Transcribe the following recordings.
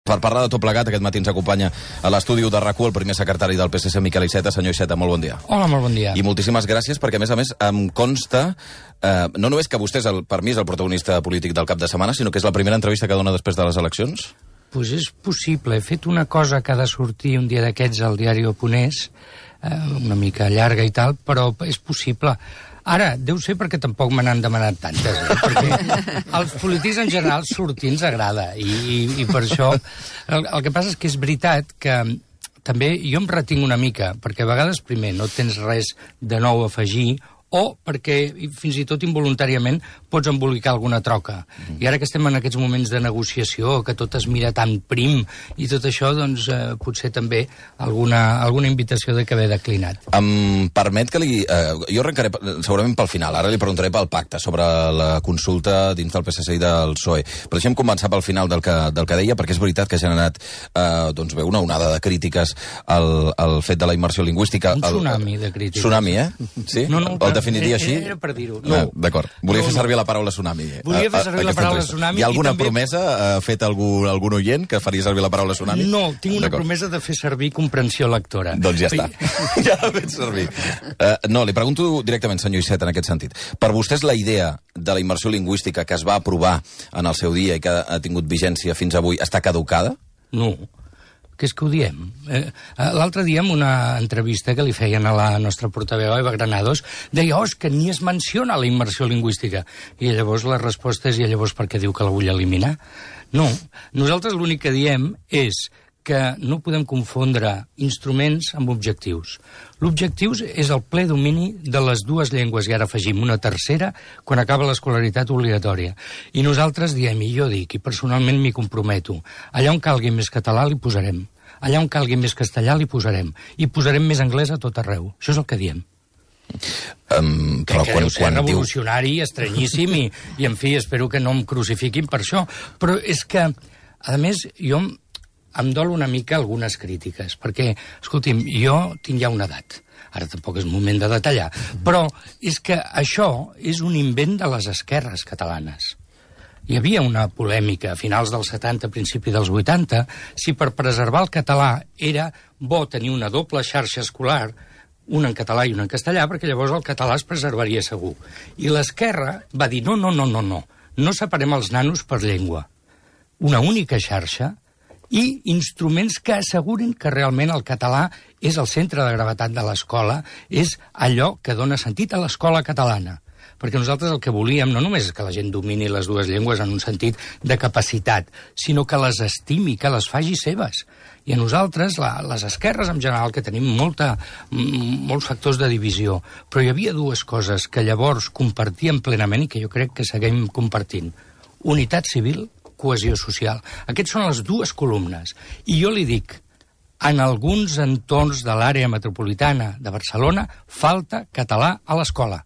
Per parlar de tot plegat, aquest matí ens acompanya a l'estudi de RAC1 el primer secretari del PSC, Miquel Iceta. Senyor Iceta, molt bon dia. Hola, molt bon dia. I moltíssimes gràcies perquè, a més, em consta, no només que vostè, per mi, és el protagonista polític del cap de setmana, sinó que és la primera entrevista que dona després de les eleccions. Pues és possible. He fet una cosa que ha de sortir un dia d'aquests al diari Oponés, una mica llarga i tal, però és possible. Ara, deu ser perquè tampoc me n'han demanat tantes, perquè als polítics en general sortir ens agrada, i per això el que passa és que és veritat que també jo em retinc una mica, perquè a vegades, primer, no tens res de nou a afegir, o perquè fins i tot involuntàriament pots embolicar alguna troca. I ara que estem en aquests moments de negociació, que tot es mira tan prim i tot això, doncs potser també alguna invitació de que haver declinat. Em permet que jo arrencaré segurament pel final, ara li preguntaré pel pacte sobre la consulta dins del PSC i del PSOE. Però deixem començar pel final del que deia, perquè és veritat que ha generat una onada de crítiques al fet de la immersió lingüística. Un tsunami de crítiques. Tsunami, Sí? No, El definiria així? Era per dir-ho. D'acord. Volia fer servir la paraula tsunami. Volia fer servir la paraula tsunami. Hi ha alguna promesa? Ha fet algun oient que faria servir la paraula tsunami? No, tinc una promesa de fer servir comprensió lectora. Doncs ja està. Ja l'ha fet servir. No, li pregunto directament, senyor Iceta, en aquest sentit. Per vostès la idea de la immersió lingüística que es va aprovar en el seu dia i que ha tingut vigència fins avui està caducada? No. Que és que ho diem. L'altre dia, en una entrevista que li feien a la nostra portaveu, Eva Granados, deia, és que ni es menciona la immersió lingüística. I llavors la resposta és, i llavors per què diu que la vull eliminar? No. Nosaltres l'únic que diem és que no podem confondre instruments amb objectius. L'objectiu és el ple domini de les dues llengües, i ara afegim una tercera quan acaba l'escolaritat obligatòria. I nosaltres diem, i jo dic, i personalment m'hi comprometo, allà on calgui més català li posarem, allà on calgui més castellà li posarem, i posarem més anglès a tot arreu. Això és el que diem. Però que deu ser revolucionari, estranyíssim, i en fi, espero que no em crucifiquin per això. Però és que, a més, jo em dol una mica algunes crítiques, perquè, escolti'm, jo tinc ja una edat, ara tampoc és moment de detallar, però és que això és un invent de les esquerres catalanes. Hi havia una polèmica a finals dels 70, principi dels 80, si per preservar el català era bo tenir una doble xarxa escolar, una en català i una en castellà, perquè llavors el català es preservaria segur. I l'esquerra va dir, no separem els nanos per llengua. Una única xarxa i instruments que assegurin que realment el català és el centre de gravetat de l'escola, és allò que dona sentit a l'escola catalana. Perquè nosaltres el que volíem no només és que la gent domini les dues llengües en un sentit de capacitat, sinó que les estimi, que les faci seves. I a nosaltres, les esquerres en general, que tenim molts factors de divisió, però hi havia dues coses que llavors compartíem plenament i que jo crec que seguim compartint. Unitat civil, cohesió social. Aquestes són les dues columnes. I jo li dic, en alguns entorns de l'àrea metropolitana de Barcelona falta català a l'escola.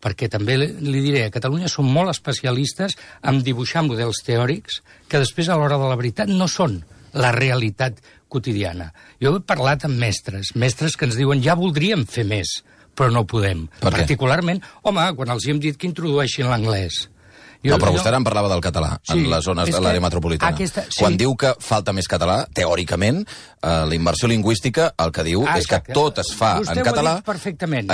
Perquè també li diré, a Catalunya som molt especialistes en dibuixar models teòrics que després a l'hora de la veritat no són la realitat quotidiana. Jo he parlat amb mestres que ens diuen ja voldríem fer més, però no podem. Particularment, quan els hem dit que introdueixin l'anglès. No, però vostè ara em parlava del català en les zones de l'àrea metropolitana. Quan diu que falta més català, teòricament, la immersió lingüística el que diu és que tot es fa en català,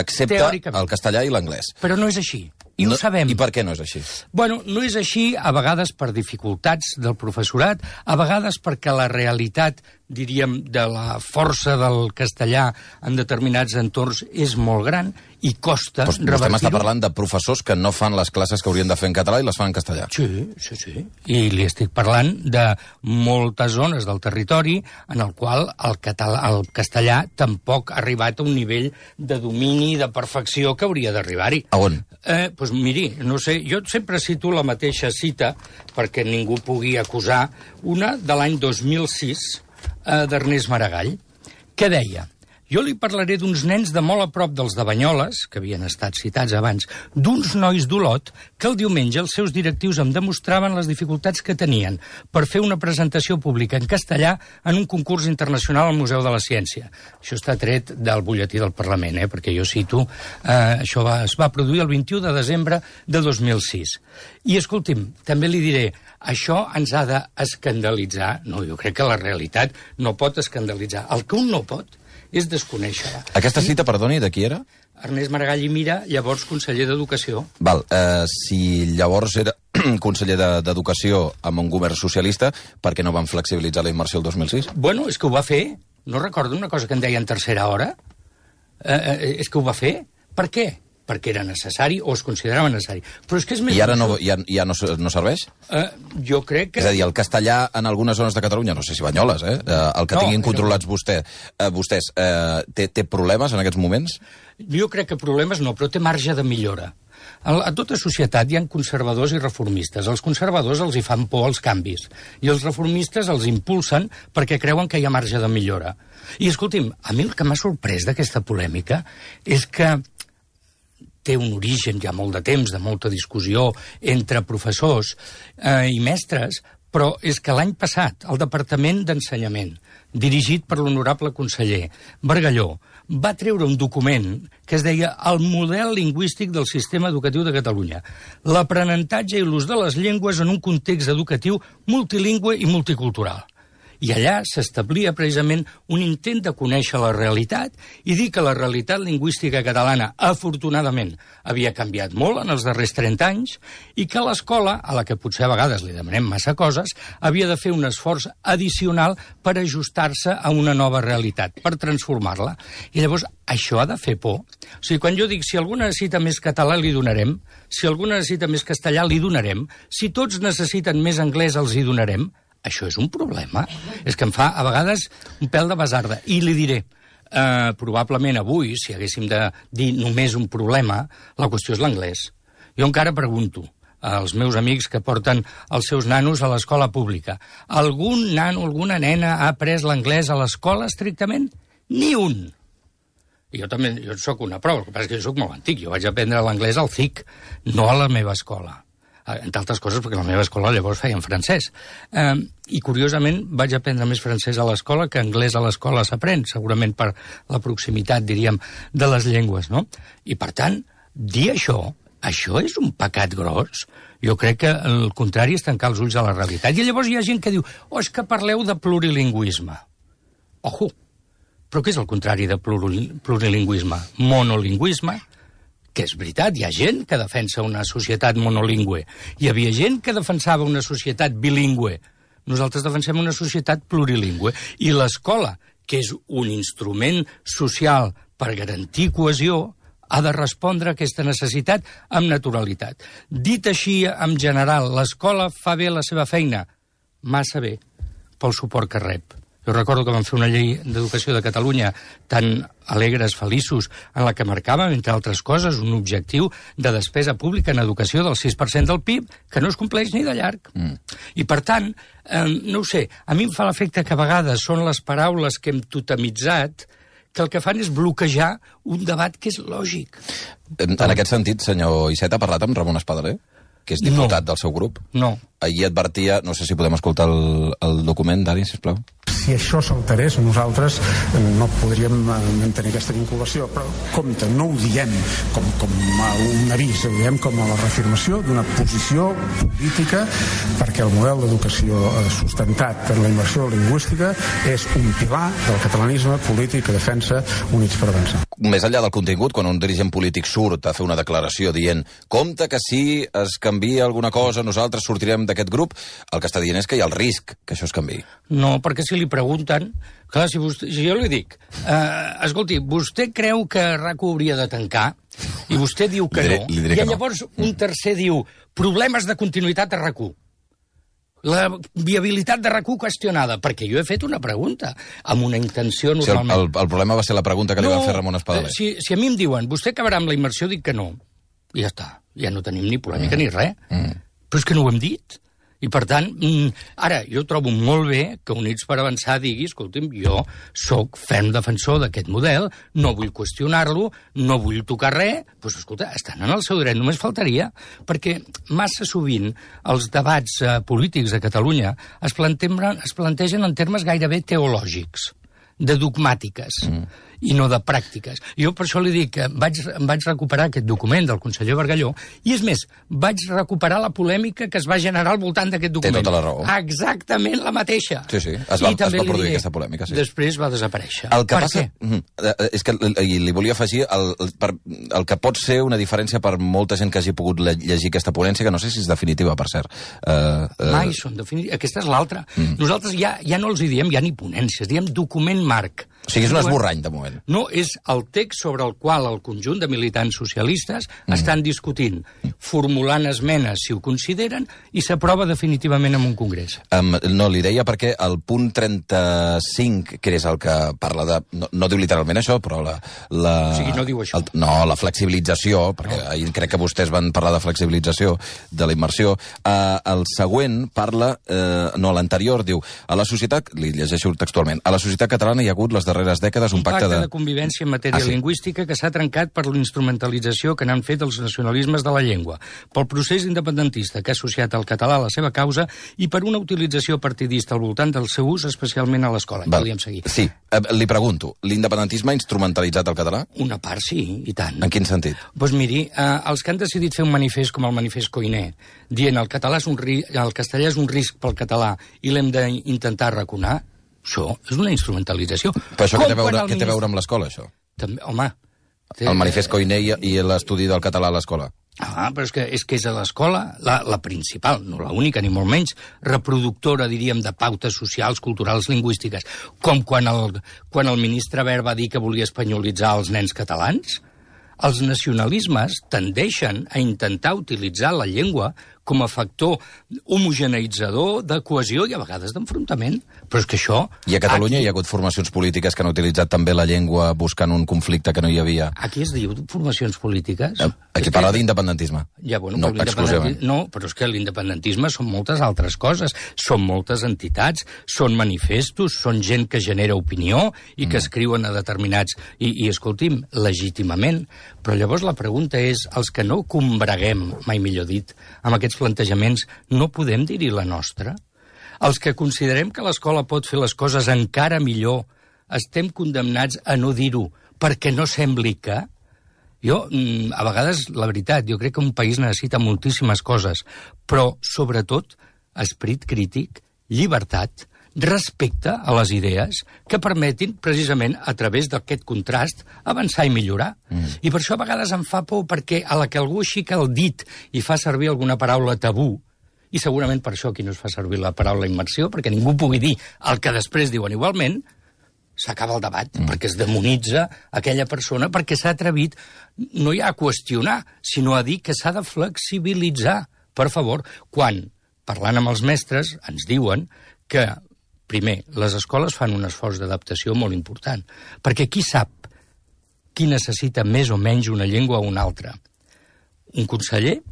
excepte el castellà i l'anglès. Però no és així. I ho sabem. I per què no és així? Bueno, no és així, a vegades per dificultats del professorat, a vegades perquè la realitat, diríem, de la força del castellà en determinats entorns és molt gran i costa revertir-ho. Vostè m'està parlant de professors que no fan les classes que haurien de fer en català i les fan en castellà. Sí. I li estic parlant de moltes zones del territori en el qual el castellà tampoc ha arribat a un nivell de domini i de perfecció que hauria d'arribar-hi. A on? Doncs miri, no sé, jo sempre cito la mateixa cita perquè ningú pugui acusar, una de l'any 2006 d'Ernest Maragall, que deia: Jo li parlaré d'uns nens de molt a prop dels de Banyoles, que havien estat citats abans, d'uns nois d'Olot que el diumenge els seus directius em demostraven les dificultats que tenien per fer una presentació pública en castellà en un concurs internacional al Museu de la Ciència. Això està tret del butlletí del Parlament, perquè jo cito, això es va produir el 21 de desembre de 2006. I, escolti'm, també li diré, això ens ha d'escandalitzar. No, jo crec que la realitat no pot escandalitzar. El que un no pot és desconèixer-la. Aquesta cita, perdoni, de qui era? Ernest Maragall i Mira, llavors conseller d'Educació. Val, si llavors era conseller d'Educació amb un govern socialista, per què no van flexibilitzar la immersió el 2006? Bueno, és que ho va fer. No recordo una cosa que en deien tercera hora? És que ho va fer. Per què? Perquè era necessari o es considerava necessari. Però és que és més... I ara ja no serveix? Jo crec que... És a dir, el castellà en algunes zones de Catalunya, no sé si Banyoles, el que tinguin controlats vostès, té problemes en aquests moments? Jo crec que problemes no, però té marge de millora. A tota societat hi ha conservadors i reformistes. Els conservadors els hi fan por els canvis i els reformistes els impulsen perquè creuen que hi ha marge de millora. I, escolti'm, a mi el que m'ha sorprès d'aquesta polèmica és que té un origen ja molt de temps, de molta discussió entre professors i mestres, però és que l'any passat el Departament d'Ensenyament, dirigit per l'honorable conseller Bargalló, va treure un document que es deia El model lingüístic del sistema educatiu de Catalunya, l'aprenentatge i l'ús de les llengües en un context educatiu multilingüe i multicultural. I allà s'establia precisament un intent de conèixer la realitat i dir que la realitat lingüística catalana, afortunadament, havia canviat molt en els darrers 30 anys i que l'escola, a la que potser a vegades li demanem massa coses, havia de fer un esforç addicional per ajustar-se a una nova realitat, per transformar-la. I llavors, això ha de fer por. O sigui, quan jo dic, si algú necessita més català, li donarem. Si algú necessita més castellà, li donarem. Si tots necessiten més anglès, els hi donarem. Això és un problema. És que em fa, a vegades, un pèl de basarda. I li diré, probablement avui, si haguéssim de dir només un problema, la qüestió és l'anglès. Jo encara pregunto als meus amics que porten els seus nanos a l'escola pública. Algun nano, alguna nena ha après l'anglès a l'escola estrictament? Ni un. I jo també, jo soc una prova, el que passa és que jo soc molt antic. Jo vaig aprendre l'anglès al CIC, no a la meva escola. Entre altres coses, perquè la meva escola llavors feia en francès. I, curiosament, vaig aprendre més francès a l'escola que anglès a l'escola s'aprèn, segurament per la proximitat, diríem, de les llengües, no? I, per tant, dir això és un pecat gros. Jo crec que el contrari és tancar els ulls a la realitat. I llavors hi ha gent que diu, és que parleu de plurilingüisme. Ojo! Però què és el contrari de plurilingüisme? Monolingüisme? Que és veritat, hi ha gent que defensa una societat monolingüe. Hi havia gent que defensava una societat bilingüe. Nosaltres defensem una societat plurilingüe. I l'escola, que és un instrument social per garantir cohesió, ha de respondre a aquesta necessitat amb naturalitat. Dit així, en general, l'escola fa bé la seva feina? Massa bé, pel suport que rep. Jo recordo que vam fer una llei d'educació de Catalunya tan alegres, feliços, en la que marcàvem, entre altres coses, un objectiu de despesa pública en educació del 6% del PIB, que no es compleix ni de llarg. I, per tant, no ho sé, a mi em fa l'efecte que a vegades són les paraules que hem totemitzat que el que fan és bloquejar un debat que és lògic. En aquest sentit, senyor Iceta, ha parlat amb Ramon Espadaler, que és diputat del seu grup? No. Ahir advertia, no sé si podem escoltar el document, Dani, sisplau. Si això s'alterés, nosaltres no podríem mantenir aquesta vinculació, però compte, no ho diem com un avís, ho diem com a la reafirmació d'una posició política, perquè el model d'educació sustentat per la immersió lingüística és un pilar del catalanisme polític que defensa Units per Avançar. Més enllà del contingut, quan un dirigent polític surt a fer una declaració dient compte que si es canvia alguna cosa nosaltres sortirem d'aquest grup, el que està dient és que hi ha el risc que això es canviï. No, perquè si li pregunten... Clar, si jo li dic, escolti, vostè creu que RAC1 hauria de tancar? I vostè diu que no. I llavors un tercer diu problemes de continuïtat a RAC1. La viabilitat de RAC1 qüestionada, perquè jo he fet una pregunta amb una intenció normalment... El problema va ser la pregunta que li va fer Ramon Espadaler. Si a mi em diuen, vostè acabarà amb la immersió, dic que no. I ja està. Ja no tenim ni polèmica ni res. Però és que no ho hem dit. I, per tant, ara, jo trobo molt bé que Units per Avançar digui, escolta'm, jo sóc ferm defensor d'aquest model, no vull qüestionar-lo, no vull tocar res, doncs, escolta, estan en el seu dret, només faltaria, perquè massa sovint els debats polítics a Catalunya es plantegen en termes gairebé teològics, de dogmàtiques, i no de pràctiques. Jo per això li dic que em vaig recuperar aquest document del conseller Bargalló, i és més, vaig recuperar la polèmica que es va generar al voltant d'aquest document. Té tota la raó. Exactament la mateixa. Sí, es va produir aquesta polèmica, sí. Després va desaparèixer. El que passa és que li volia afegir el que pot ser una diferència per molta gent que hagi pogut llegir aquesta ponència, que no sé si és definitiva, per cert. Mai són definitives. Aquesta és l'altra. Nosaltres ja no els hi diem ja ni ponències, diem document marc. O sigui, és un esborrany, de moment. No, és el text sobre el qual el conjunt de militants socialistes estan discutint, formulant esmenes, si ho consideren, i s'aprova definitivament en un congrés. No, li deia perquè el punt 35, que és el que parla de... No diu literalment això, però la... O sigui, no diu això. La flexibilització, perquè ahir crec que vostès van parlar de flexibilització, de la immersió. El següent parla... No, l'anterior diu... A la societat... Li llegeixo textualment. A la societat catalana hi ha hagut les darreres dècades un pacte de convivència en matèria lingüística que s'ha trencat per l'instrumentalització que n'han fet els nacionalismes de la llengua, pel procés independentista que ha associat el català a la seva causa i per una utilització partidista al voltant del seu ús, especialment a l'escola. Podríem seguir. Sí, li pregunto, l'independentisme ha instrumentalitzat el català? Una part sí, i tant. En quin sentit? Doncs miri, els que han decidit fer un manifest com el manifest Koiné, dient el castellà és un risc pel català i l'hem d'intentar arraconar, això és una instrumentalització. Però això què té a veure amb l'escola, això? També, home... El manifest Koiné i l'estudi del català a l'escola. Però és que és a l'escola la principal, no l'única, ni molt menys, reproductora, diríem, de pautes socials, culturals, lingüístiques. Com quan el ministre Wert va dir que volia espanyolitzar els nens catalans. Els nacionalismes tendeixen a intentar utilitzar la llengua com a factor homogeneitzador de cohesió i a vegades d'enfrontament. Però és que això... I a Catalunya hi ha hagut formacions polítiques que han utilitzat també la llengua buscant un conflicte que no hi havia. Aquí es diu formacions polítiques? Aquí parla d'independentisme. Ja, bueno, no, exclusivament. No, però és que l'independentisme són moltes altres coses. Són moltes entitats, són manifestos, són gent que genera opinió i que escriuen a determinats... I escolti'm, legítimament. Però llavors la pregunta és, els que no combreguem, mai millor dit, amb aquests plantejaments, no podem dir-hi la nostra? Els que considerem que l'escola pot fer les coses encara millor, estem condemnats a no dir-ho perquè no sembli que... Jo, a vegades, la veritat, jo crec que un país necessita moltíssimes coses, però, sobretot, esperit crític, llibertat, respecte a les idees que permetin, precisament, a través d'aquest contrast, avançar i millorar. I per això a vegades em fa por, perquè a la que algú aixeca el dit i fa servir alguna paraula tabú, i segurament per això aquí no es fa servir la paraula immersió, perquè ningú pugui dir el que després diuen igualment, s'acaba el debat, perquè es demonitza aquella persona, perquè s'ha atrevit no ja a qüestionar, sinó a dir que s'ha de flexibilitzar. Per favor, quan, parlant amb els mestres, ens diuen que primer, les escoles fan un esforç d'adaptació molt important, perquè qui sap qui necessita més o menys una llengua o una altra? Un conseller?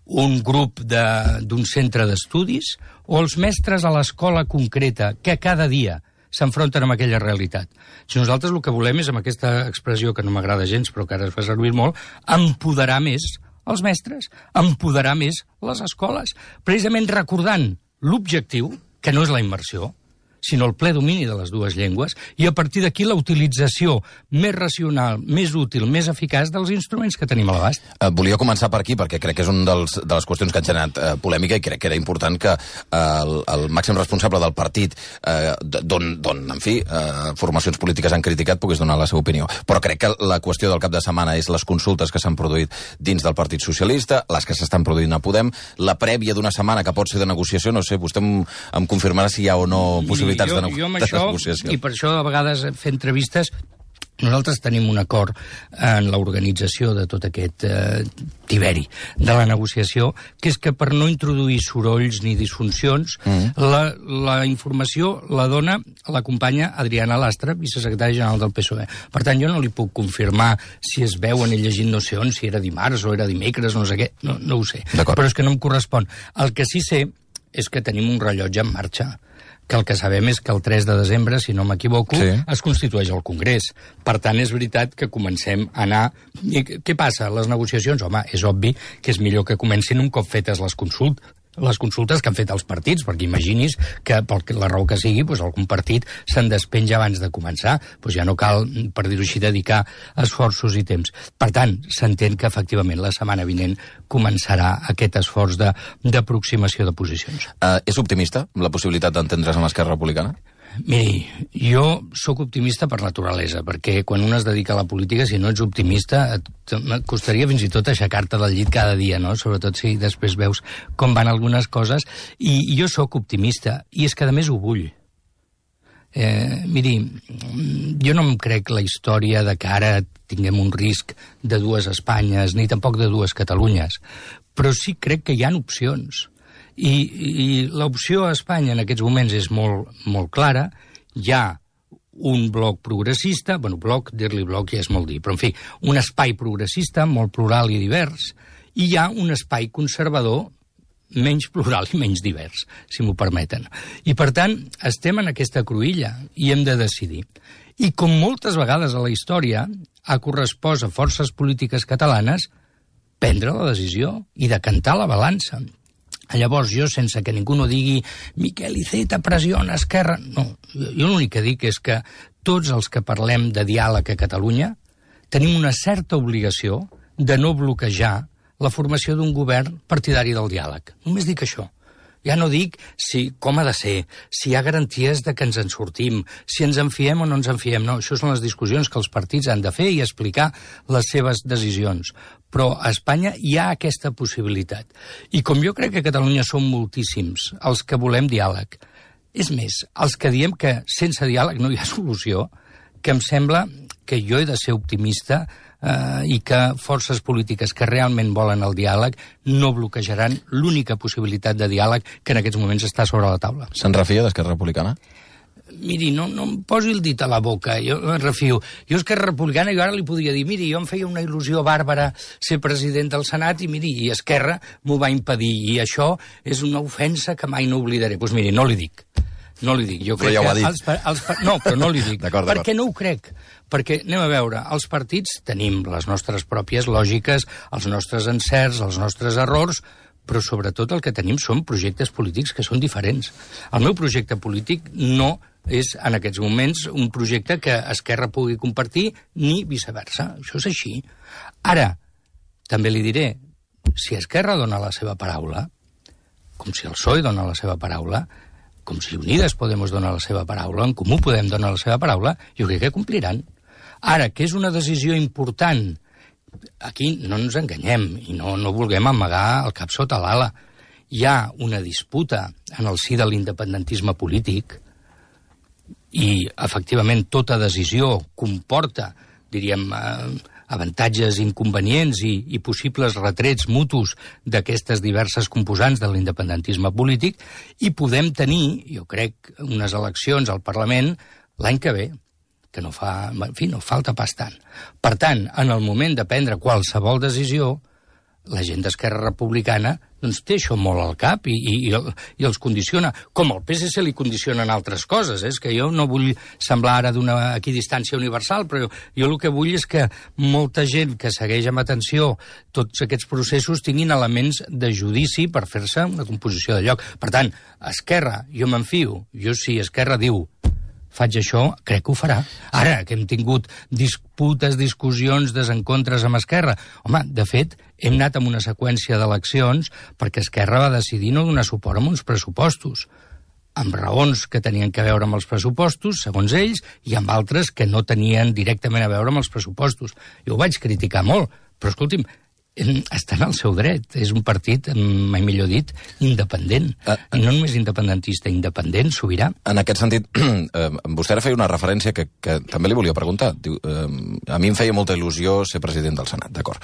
Un grup d'un centre d'estudis? O els mestres a l'escola concreta que cada dia s'enfronten amb aquella realitat? Si nosaltres el que volem és, amb aquesta expressió que no m'agrada gens, però que ara es fa servir molt, empoderar més els mestres, empoderar més les escoles, precisament recordant l'objectiu, que no és la immersió, sinó el ple domini de les dues llengües, i a partir d'aquí la utilització més racional, més útil, més eficaç dels instruments que tenim a l'abast. Volia començar per aquí, perquè crec que és una de les qüestions que han generat polèmica, i crec que era important que el màxim responsable del partit, d'on, en fi, formacions polítiques han criticat, pogués donar la seva opinió. Però crec que la qüestió del cap de setmana és les consultes que s'han produït dins del Partit Socialista, les que s'estan produint a Podem, la prèvia d'una setmana que pot ser de negociació, no sé, vostè em confirmarà si hi ha o no possibilitats jo amb això, i per això a vegades fer entrevistes, nosaltres tenim un acord en l'organització de tot aquest tiberi de la negociació, que és que per no introduir sorolls ni disfuncions, la informació la dona la companya Adriana Lastra, vicesecretària general del PSOE. Per tant, jo no li puc confirmar si es veuen i llegint no sé on, si era dimarts o era dimecres, no sé què, no ho sé. Però és que no em correspon. El que sí sé és que tenim un rellotge en marxa, que el que sabem és que el 3 de desembre, si no m'equivoco, es constitueix el Congrés. Per tant, és veritat que comencem a anar... I què passa? Les negociacions, home, és obvi que és millor que comencin un cop fetes les consultes que han fet els partits, perquè imaginis que, per la raó que sigui, doncs algun partit se'n despenja abans de començar. Doncs ja no cal, per dir-ho així, dedicar esforços i temps. Per tant, s'entén que, efectivament, la setmana vinent començarà aquest esforç d'aproximació de posicions. És optimista la possibilitat d'entendre's amb Esquerra Republicana? Miri, jo sóc optimista per naturalesa, perquè quan un es dedica a la política, si no ets optimista, et costaria fins i tot aixecar-te del llit cada dia, no? Sobretot si després veus com van algunes coses. I jo sóc optimista, i és que a més ho vull. Miri, jo no em crec la història de que ara tinguem un risc de dues Espanyes, ni tampoc de dues Catalunyes, però sí crec que hi ha opcions. I l'opció a Espanya en aquests moments és molt clara. Hi ha un bloc progressista, bueno, dir-li bloc ja és molt dir, però en fi, un espai progressista molt plural i divers, i hi ha un espai conservador menys plural i menys divers, si m'ho permeten. I per tant, estem en aquesta cruïlla i hem de decidir. I com moltes vegades a la història, ha correspost a forces polítiques catalanes prendre la decisió i decantar la balança. Llavors, jo, sense que ningú no digui Miquel Iceta pressiona Esquerra... No, jo l'únic que dic és que tots els que parlem de diàleg a Catalunya tenim una certa obligació de no bloquejar la formació d'un govern partidari del diàleg. Només dic això. Ja no dic com ha de ser, si hi ha garanties de que ens en sortim, si ens en fiem o no ens en fiem. No, això són les discussions que els partits han de fer i explicar les seves decisions. Però a Espanya hi ha aquesta possibilitat. I com jo crec que a Catalunya som moltíssims els que volem diàleg, és més, els que diem que sense diàleg no hi ha solució, que em sembla que jo he de ser optimista i que forces polítiques que realment volen el diàleg no bloquejaran l'única possibilitat de diàleg que en aquests moments està sobre la taula. Se'n refia d'Esquerra Republicana? Miri, no em posi el dit a la boca, jo em refio. Jo Esquerra Republicana, jo ara li podria dir, miri, jo em feia una il·lusió bàrbara ser president del Senat i miri, i Esquerra m'ho va impedir, i això és una ofensa que mai no oblidaré. Doncs miri, no li dic. No li dic. Jo crec ja ho ha dit. No, però no li dic. D'acord. Perquè no ho crec. Perquè, anem a veure, els partits tenim les nostres pròpies lògiques, els nostres encerts, els nostres errors, però sobretot el que tenim són projectes polítics que són diferents. El meu projecte polític no és, en aquests moments, un projecte que Esquerra pugui compartir, ni viceversa. Això és així. Ara, també li diré, si Esquerra dona la seva paraula, com si el PSOE dona la seva paraula, com si Unides Podemos donar la seva paraula, en Comú Podem donar la seva paraula, jo crec que compliran. Ara, que és una decisió important, aquí no ens enganyem i no vulguem amagar el cap sota l'ala. Hi ha una disputa en el si de l'independentisme polític i, efectivament, tota decisió comporta, diríem, avantatges, inconvenients i possibles retrets mutus d'aquestes diverses composants de l'independentisme polític, i podem tenir, jo crec, unes eleccions al Parlament l'any que ve, que no falta pas tant. Per tant, en el moment de prendre qualsevol decisió, la gent d'Esquerra Republicana doncs té això molt al cap i els condiciona. Com al PSC li condicionen altres coses. És que jo no vull semblar ara d'una equidistància universal, però jo el que vull és que molta gent que segueix amb atenció tots aquests processos tinguin elements de judici per fer-se una composició de lloc. Per tant, Esquerra, jo m'enfio. Jo, si Esquerra diu faig això, crec que ho farà. Ara, que hem tingut disputes, discussions, desencontres amb Esquerra. Home, de fet, hem anat amb una seqüència d'eleccions perquè Esquerra va decidir no donar suport a uns pressupostos, amb raons que tenien a veure amb els pressupostos, segons ells, i amb altres que no tenien directament a veure amb els pressupostos. Jo ho vaig criticar molt, però escolti'm, està en el seu dret. És un partit, mai millor dit, independent. I no només independentista, independent, sobirà. En aquest sentit, vostè ara feia una referència que també li volia preguntar. Diu, a mi em feia molta il·lusió ser president del Senat, d'acord.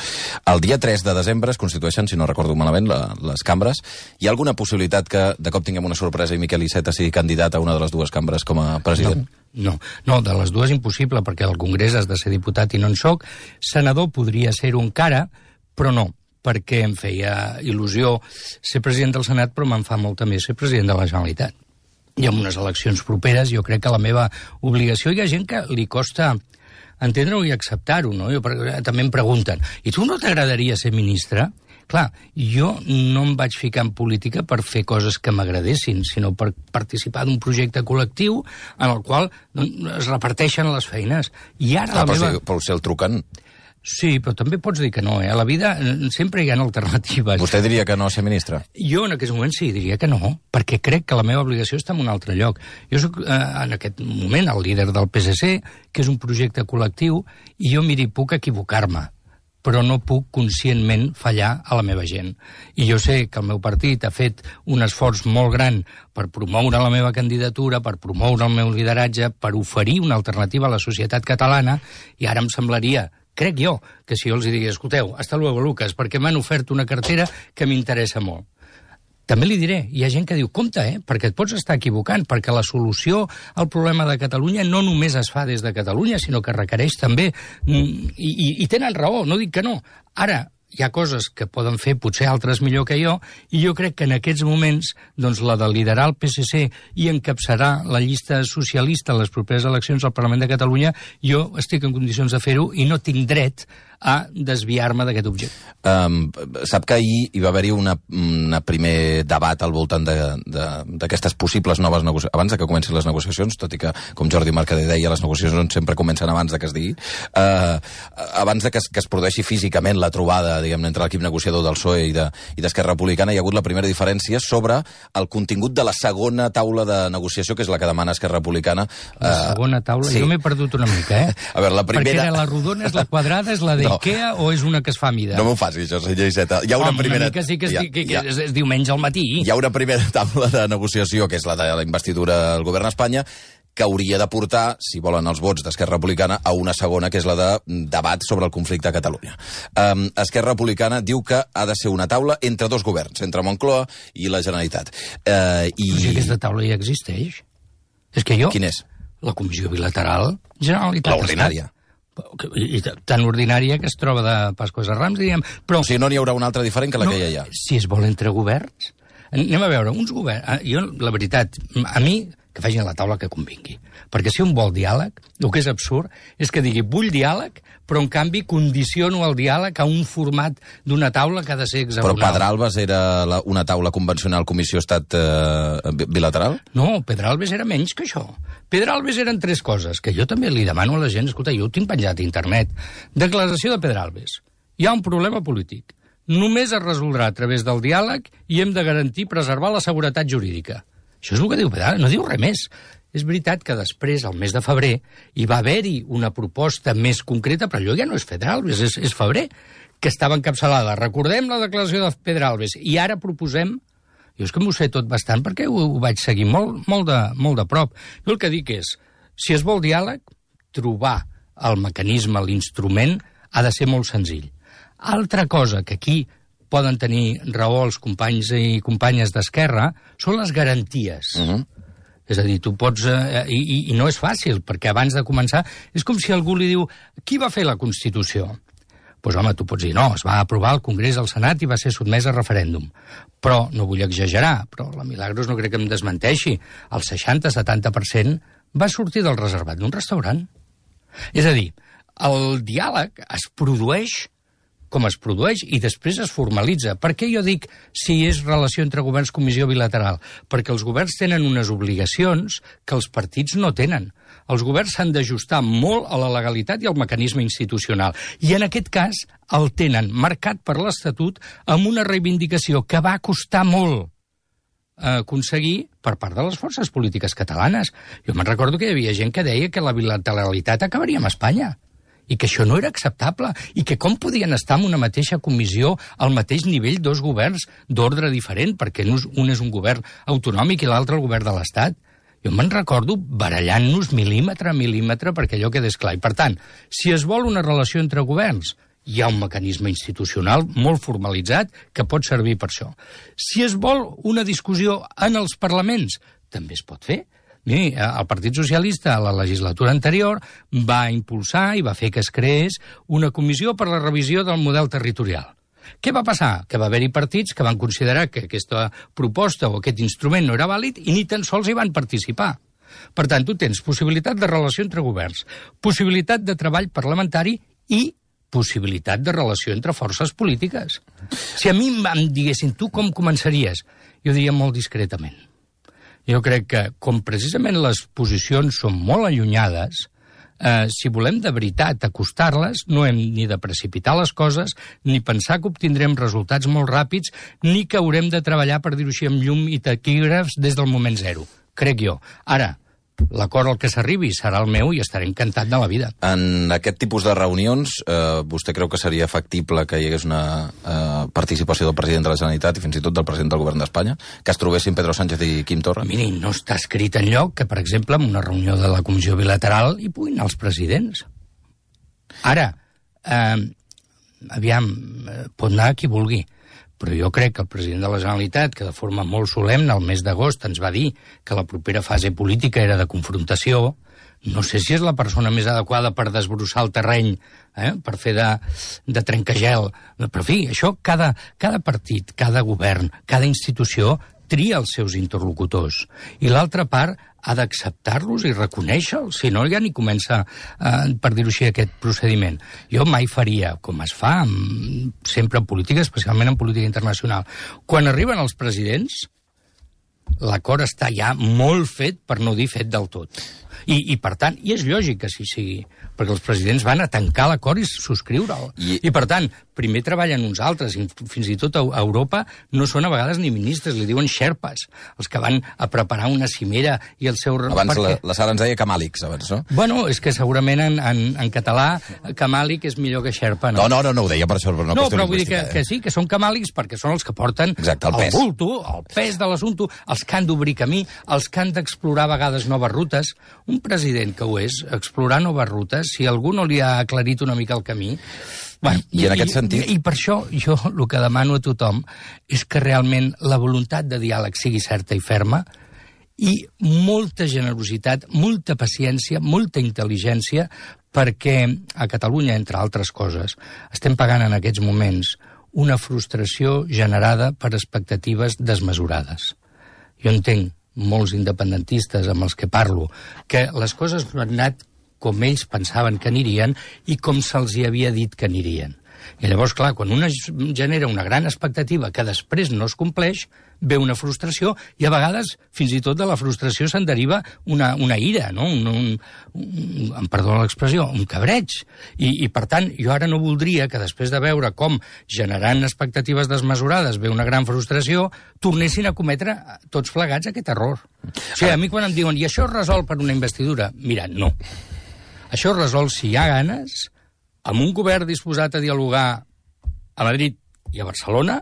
El dia 3 de desembre es constitueixen, si no recordo malament, les cambres. Hi ha alguna possibilitat que de cop tinguem una sorpresa i Miquel Iceta sigui candidat a una de les dues cambres com a president? No, de les dues impossible, perquè al Congrés has de ser diputat i no en soc. Senador podria ser-ho encara, però no, perquè em feia il·lusió ser president del Senat, però me'n fa molta més ser president de la Generalitat. I amb unes eleccions properes jo crec que la meva obligació, hi ha gent que li costa entendre-ho i acceptar-ho, no? També em pregunten, i tu no t'agradaria ser ministre? Clar, jo no em vaig ficar en política per fer coses que m'agradessin, sinó per participar d'un projecte col·lectiu en el qual es reparteixen les feines. I ara Però si el truquen... Sí, però també pots dir que no, A la vida sempre hi ha alternatives. Vostè diria que no ser ministre? Jo en aquest moment sí, diria que no, perquè crec que la meva obligació està en un altre lloc. Jo soc en aquest moment el líder del PSC, que és un projecte col·lectiu, i jo, miri, puc equivocar-me, però no puc conscientment fallar a la meva gent. I jo sé que el meu partit ha fet un esforç molt gran per promoure la meva candidatura, per promoure el meu lideratge, per oferir una alternativa a la societat catalana, i ara em semblaria, crec jo, que si jo els digués, escolteu, hasta luego, Lucas, perquè m'han ofert una cartera que m'interessa molt. També li diré, hi ha gent que diu, compte, perquè et pots estar equivocant, perquè la solució al problema de Catalunya no només es fa des de Catalunya, sinó que requereix també, i tenen raó, no dic que no. Ara, hi ha coses que poden fer potser altres millor que jo, i jo crec que en aquests moments doncs, la de liderar el PSC i encapçalar la llista socialista a les properes eleccions al Parlament de Catalunya, jo estic en condicions de fer-ho i no tinc dret a desviar-me d'aquest objecte. Sap que ahir hi va haver-hi un primer debat al voltant d'aquestes possibles noves negociacions, abans que comencin les negociacions, tot i que, com Jordi Mercader deia, les negociacions sempre comencen abans que es digui, abans que es produeixi físicament la trobada, diguem-ne, entre l'equip negociador del PSOE i d'Esquerra Republicana, hi ha hagut la primera diferència sobre el contingut de la segona taula de negociació, que és la que demana Esquerra Republicana. La segona taula? Sí. Jo m'he perdut una mica, A veure, la primera... Perquè la rodona és la quadrada, és la d'Ikea o és una que es fa a mida? No m'ho faci, això, senyor Iceta. Hi ha una primera... Una mica sí que és diumenge al matí. Hi ha una primera taula de negociació, que és la de la investidura del govern d'Espanya, que hauria de portar, si volen els vots d'Esquerra Republicana, a una segona, que és la de debat sobre el conflicte a Catalunya. Esquerra Republicana diu que ha de ser una taula entre dos governs, entre Moncloa i la Generalitat. Però si aquesta taula ja existeix. És que jo... Quin és? La Comissió Bilateral Generalitat. L'ordinària. I tan ordinària que es troba de Pasqües a Rams, diríem. Però, o sigui, no n'hi haurà una altra diferent que la que hi ha. Si es vol entre governs, anem a veure, uns governs... Jo, la veritat, a mi, que facin la taula que convingui. Perquè si un vol diàleg, el que és absurd és que digui, vull diàleg, però en canvi condiciono el diàleg a un format d'una taula que ha de ser hexagonal. Però Pedralbes era una taula convencional Comissió Estat bilateral? No, Pedralbes era menys que això. Pedralbes eren tres coses, que jo també li demano a la gent, escolta, jo ho tinc penjat a internet. Declaració de Pedralbes. Hi ha un problema polític. Només es resoldrà a través del diàleg i hem de garantir preservar la seguretat jurídica. Això és el que diu Pedralbes, no diu res més. És veritat que després, al mes de febrer, hi va haver-hi una proposta més concreta, però allò ja no és Pedralbes, és febrer, que estava encapçalada. Recordem la declaració de Pedralbes i ara proposem... Jo és que m'ho sé tot bastant perquè ho vaig seguir molt de prop. Jo el que dic és, si es vol diàleg, trobar el mecanisme, l'instrument, ha de ser molt senzill. Altra cosa que aquí poden tenir raó els companys i companyes d'Esquerra són les garanties. És a dir, tu pots... I no és fàcil, perquè abans de començar... És com si algú li diu, qui va fer la Constitució? Doncs home, tu pots dir, no, es va aprovar al Congrés al Senat i va ser sotmès a referèndum. Però, no vull exagerar, però la Milagros no crec que em desmenteixi. El 60-70% va sortir del reservat d'un restaurant. És a dir, el diàleg es produeix com es produeix i després es formalitza. Per què jo dic si és relació entre governs comissió bilateral? Perquè els governs tenen unes obligacions que els partits no tenen. Els governs s'han d'ajustar molt a la legalitat i al mecanisme institucional. I en aquest cas el tenen marcat per l'Estatut amb una reivindicació que va costar molt aconseguir per part de les forces polítiques catalanes. Jo me'n recordo que hi havia gent que deia que la bilateralitat acabaria amb Espanya i que això no era acceptable, i que com podien estar en una mateixa comissió al mateix nivell dos governs d'ordre diferent, perquè un és un govern autonòmic i l'altre el govern de l'Estat. Jo me'n recordo barallant-nos mil·límetre a mil·límetre perquè allò quedés clar. I per tant, si es vol una relació entre governs, hi ha un mecanisme institucional molt formalitzat que pot servir per això. Si es vol una discussió en els parlaments, també es pot fer. Miri, el Partit Socialista a la legislatura anterior va impulsar i va fer que es creés una comissió per la revisió del model territorial. Què va passar? Que va haver-hi partits que van considerar que aquesta proposta o aquest instrument no era vàlid i ni tan sols hi van participar. Per tant, tu tens possibilitat de relació entre governs, possibilitat de treball parlamentari i possibilitat de relació entre forces polítiques. Si a mi em diguessin, tu com començaries? Jo diria molt discretament. Jo crec que, com precisament les posicions són molt allunyades, si volem de veritat acostar-les, no hem ni de precipitar les coses, ni pensar que obtindrem resultats molt ràpids, ni que haurem de treballar, per dir-ho així, amb llum i taquígrafs des del moment zero. Crec jo. Ara, l'acord al que s'arribi serà el meu i estaré encantat de la vida. En aquest tipus de reunions, vostè creu que seria factible que hi hagués una participació del president de la Generalitat i fins i tot del president del govern d'Espanya? Que es trobessin Pedro Sánchez i Quim Torra? Miri, no està escrit enlloc que, per exemple, en una reunió de la Comissió Bilateral hi puguin anar els presidents. Ara, aviam, pot anar qui vulgui, però jo crec que el president de la Generalitat, que de forma molt solemne el mes d'agost ens va dir que la propera fase política era de confrontació, no sé si és la persona més adequada per desbrossar el terreny, per fer de trencagel. Però, en fi, això cada partit, cada govern, cada institució tria els seus interlocutors. I l'altra part ha d'acceptar-los i reconèixer-los, si no ja ni comença, per dir-ho així, aquest procediment. Jo mai faria, com es fa sempre en política, especialment en política internacional. Quan arriben els presidents, l'acord està ja molt fet, per no dir fet del tot. I per tant, i és lògic que així sigui, perquè els presidents van a tancar l'acord i subscriure'l. I per tant, primer treballen uns altres, i fins i tot a Europa no són a vegades ni ministres, li diuen xerpes, els que van a preparar una cimera i el seu... Abans la Sara ens deia camàlics, abans, no? Bueno, és que segurament en català camàlic és millor que xerpa, no? No ho deia per això, per una qüestió però vull dir que sí, que són camàlics perquè són els que porten el bulto, el pes de l'assumpte, els que han d'obrir camí, els que han d'explorar a vegades noves rutes. Un president que ho és, explorar noves rutes, si algú no li ha aclarit una mica el camí... Bueno, I en aquest sentit... I per això jo el que demano a tothom és que realment la voluntat de diàleg sigui certa i ferma i molta generositat, molta paciència, molta intel·ligència, perquè a Catalunya, entre altres coses, estem pagant en aquests moments una frustració generada per expectatives desmesurades. Jo entenc molts independentistes amb els que parlo, que les coses no han anat com ells pensaven que anirien i com se'ls hi havia dit que anirien. I llavors, clar, quan una genera una gran expectativa que després no es compleix, ve una frustració i a vegades, fins i tot de la frustració se'n deriva una ira, no? Em perdona l'expressió, un cabreig. I per tant, jo ara no voldria que després de veure com generant expectatives desmesurades ve una gran frustració, tornessin a cometre tots plegats aquest error. O sigui, a mi quan em diuen i això es resol per una investidura, mira, no. Això es resol si hi ha ganes, amb un govern disposat a dialogar a Madrid i a Barcelona,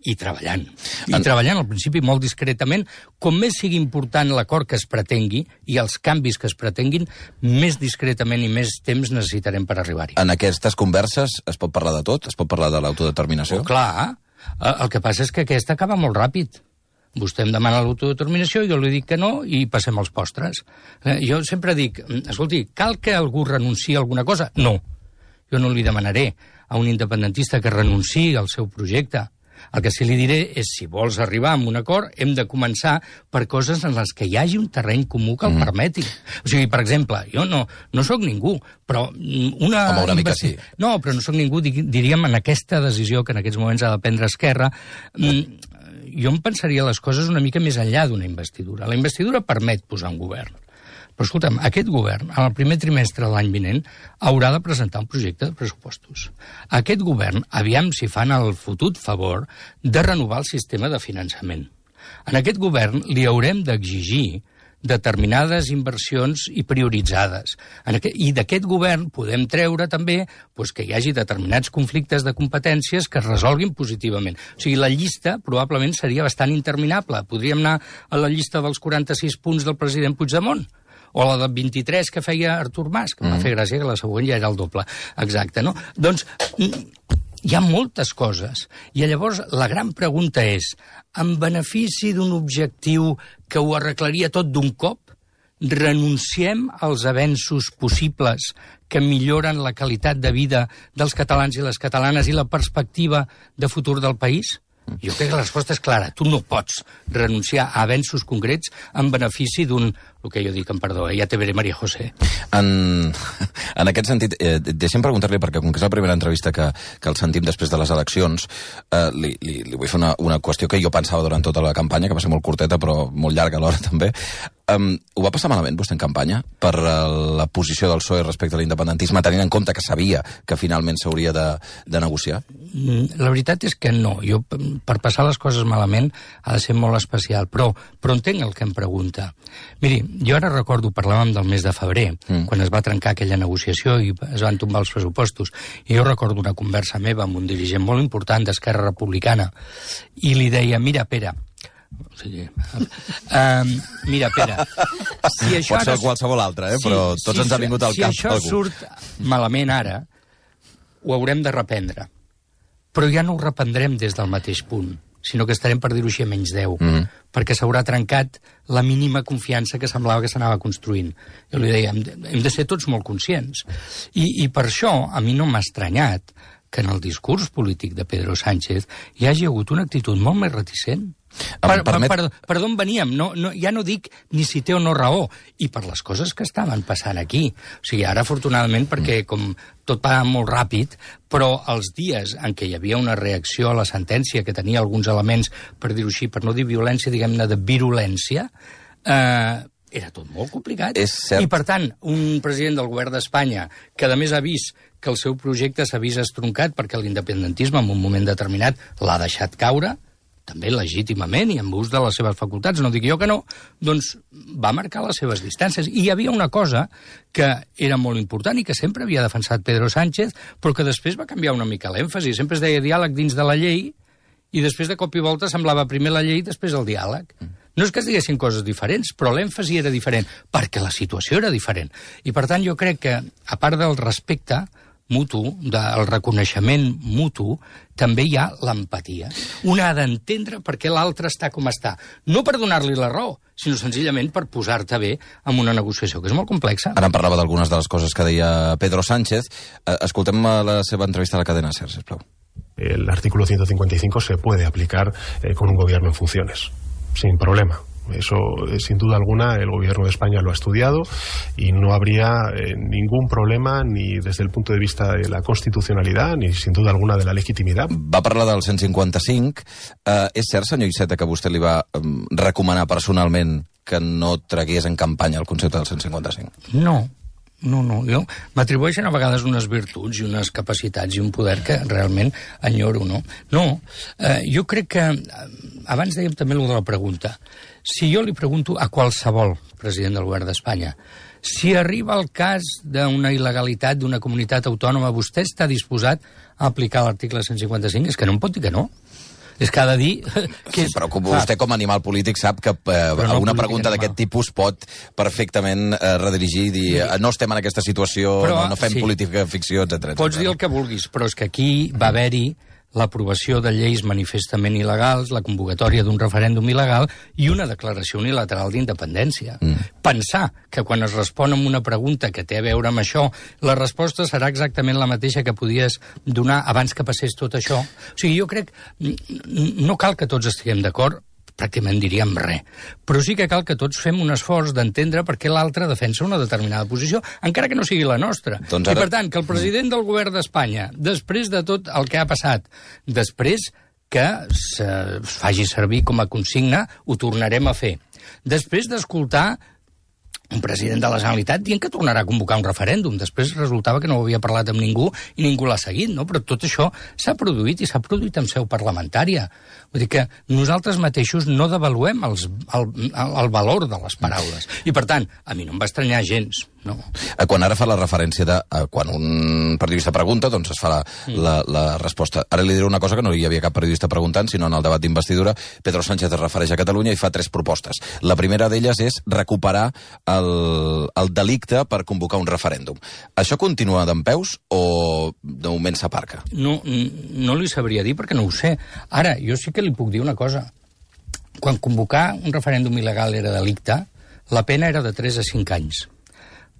i treballant. I treballant, al principi, molt discretament. Com més sigui important l'acord que es pretengui i els canvis que es pretenguin, més discretament i més temps necessitarem per arribar-hi. En aquestes converses es pot parlar de tot? Es pot parlar de l'autodeterminació? Clar. El que passa és que aquesta acaba molt ràpid. Vostè em demana l'autodeterminació, jo li dic que no i passem als postres. Jo sempre dic, escolti, cal que algú renunciï a alguna cosa? No. Jo no li demanaré a un independentista que renunciï al seu projecte. El que sí li diré és, si vols arribar a un acord, hem de començar per coses en les que hi hagi un terreny comú que el permeti. O sigui, per exemple, jo no sóc ningú, però una mica sí. No, però no sóc ningú, diríem, en aquesta decisió que en aquests moments ha de prendre Esquerra, jo em pensaria les coses una mica més enllà d'una investidura. La investidura permet posar un govern. Però, escolta'm, aquest govern, en el primer trimestre de l'any vinent, haurà de presentar un projecte de pressupostos. Aquest govern, aviam si fan el fotut favor de renovar el sistema de finançament. En aquest govern li haurem d'exigir determinades inversions i prioritzades. I d'aquest govern podem treure també que hi hagi determinats conflictes de competències que es resolguin positivament. O sigui, la llista probablement seria bastant interminable. Podríem anar a la llista dels 46 punts del president Puigdemont, o la del 23 que feia Artur Mas, que em va fer gràcia que la següent ja era el doble. Exacte, no? Doncs hi ha moltes coses. I llavors la gran pregunta és, en benefici d'un objectiu que ho arreglaria tot d'un cop, renunciem als avenços possibles que milloren la qualitat de vida dels catalans i les catalanes i la perspectiva de futur del país? Jo crec que la resposta és clara. Tu no pots renunciar a avenços concrets en benefici d'un, el que jo dic, en perdó, ja te veré, María José. En aquest sentit, deixem preguntar-li, perquè com que és la primera entrevista que el sentim després de les eleccions, li vull fer una qüestió que jo pensava durant tota la campanya, que va ser molt curteta però molt llarga alhora també. Ho va passar malament vostè en campanya per la posició del PSOE respecte a l'independentisme, tenint en compte que sabia que finalment s'hauria de negociar? La veritat és que no. Jo, per passar les coses malament, ha de ser molt especial, però entenc el que em pregunta. Miri, jo ara recordo, parlàvem del mes de febrer, quan es va trencar aquella negociació i es van tombar els pressupostos, i jo recordo una conversa meva amb un dirigent molt important d'Esquerra Republicana, i li deia, mira, Pere, mira, Pere, si això pot ser qualsevol altre, però tots ens ha vingut al cap algú. Si això surt malament ara, ho haurem de reprendre. Però ja no ho reprendrem des del mateix punt, sinó que estarem, per dir-ho així, a menys 10, perquè s'haurà trencat la mínima confiança que semblava que s'anava construint. Jo li deia, hem de ser tots molt conscients. I per això a mi no m'ha estranyat que en el discurs polític de Pedro Sánchez hi hagi hagut una actitud molt més reticent. Per d'on veníem? Ja no dic ni si té o no raó, i per les coses que estaven passant aquí. O sigui, ara, afortunadament, perquè com tot va molt ràpid, però els dies en què hi havia una reacció a la sentència que tenia alguns elements, per dir-ho així, per no dir violència, diguem-ne de virulència, era tot molt complicat. I, per tant, un president del govern d'Espanya que, a més, ha vist que el seu projecte s'ha vist estroncat perquè l'independentisme, en un moment determinat, l'ha deixat caure, també legítimament i amb ús de les seves facultats, no dic jo que no, doncs va marcar les seves distàncies. I hi havia una cosa que era molt important i que sempre havia defensat Pedro Sánchez, però que després va canviar una mica l'èmfasi. Sempre es deia diàleg dins de la llei i després de cop i volta semblava primer la llei i després el diàleg. No és que es diguessin coses diferents, però l'èmfasi era diferent, perquè la situació era diferent. I per tant jo crec que, a part del respecte mutu, del reconeixement mutu, també hi ha l'empatia. Un ha d'entendre per què l'altre està com està. No per donar-li la raó, sinó senzillament per posar-te bé en una negociació, que és molt complexa. Ara em parlava d'algunes de les coses que deia Pedro Sánchez. Escoltem la seva entrevista a la cadena SER, sisplau. El artículo 155 se puede aplicar con un gobierno en funciones, sin problema. Eso, sin duda alguna, el gobierno de España lo ha estudiado y no habría ningún problema ni desde el punto de vista de la constitucionalidad ni, sin duda alguna, de la legitimidad. Va parlar del 155. És cert, senyor Iceta, que vostè li va recomanar personalment que no tragués en campanya el concepte del 155? No. Jo m'atribueixen a vegades unes virtuts i unes capacitats i un poder que realment enyoro, no? Jo crec que, abans dèiem també allò de la pregunta, si jo li pregunto a qualsevol president del govern d'Espanya, si arriba el cas d'una il·legalitat d'una comunitat autònoma, vostè està disposat a aplicar l'article 155? És que no em pot dir que no. És que ha de dir... Però vostè, com a animal polític, sap que alguna pregunta d'aquest tipus pot perfectament redirigir i dir no estem en aquesta situació, no fem política ficció, etc. Pots dir el que vulguis, però és que aquí va haver-hi l'aprovació de lleis manifestament il·legals, la convocatòria d'un referèndum il·legal i una declaració unilateral d'independència. Pensar que quan es respon amb una pregunta que té a veure amb això, la resposta serà exactament la mateixa que podies donar abans que passés tot això. O sigui, jo crec... No cal que tots estiguem d'acord, pràcticament diríem res. Però sí que cal que tots fem un esforç d'entendre per què l'altre defensa una determinada posició, encara que no sigui la nostra. I, per tant, que el president del govern d'Espanya, després de tot el que ha passat, després que es faci servir com a consigna, ho tornarem a fer. Després d'escoltar un president de la Generalitat dient que tornarà a convocar un referèndum. Després resultava que no ho havia parlat amb ningú i ningú l'ha seguit, no? Però tot això s'ha produït i s'ha produït en seu parlamentària. Vull dir que nosaltres mateixos no devaluem el valor de les paraules. I, per tant, a mi no em va estranyar gens. No. Quan ara fa la referència de... Quan un periodista pregunta, doncs es fa la resposta. Ara li diré una cosa que no hi havia cap periodista preguntant, sinó en el debat d'investidura. Pedro Sánchez es refereix a Catalunya i fa 3 propostes. La primera d'elles és recuperar el delicte per convocar un referèndum. Això continua dempeus o de moment s'aparca? No li sabria dir perquè no ho sé. Ara, jo sí que li puc dir una cosa. Quan convocar un referèndum il·legal era delicte, la pena era de 3 a 5 anys.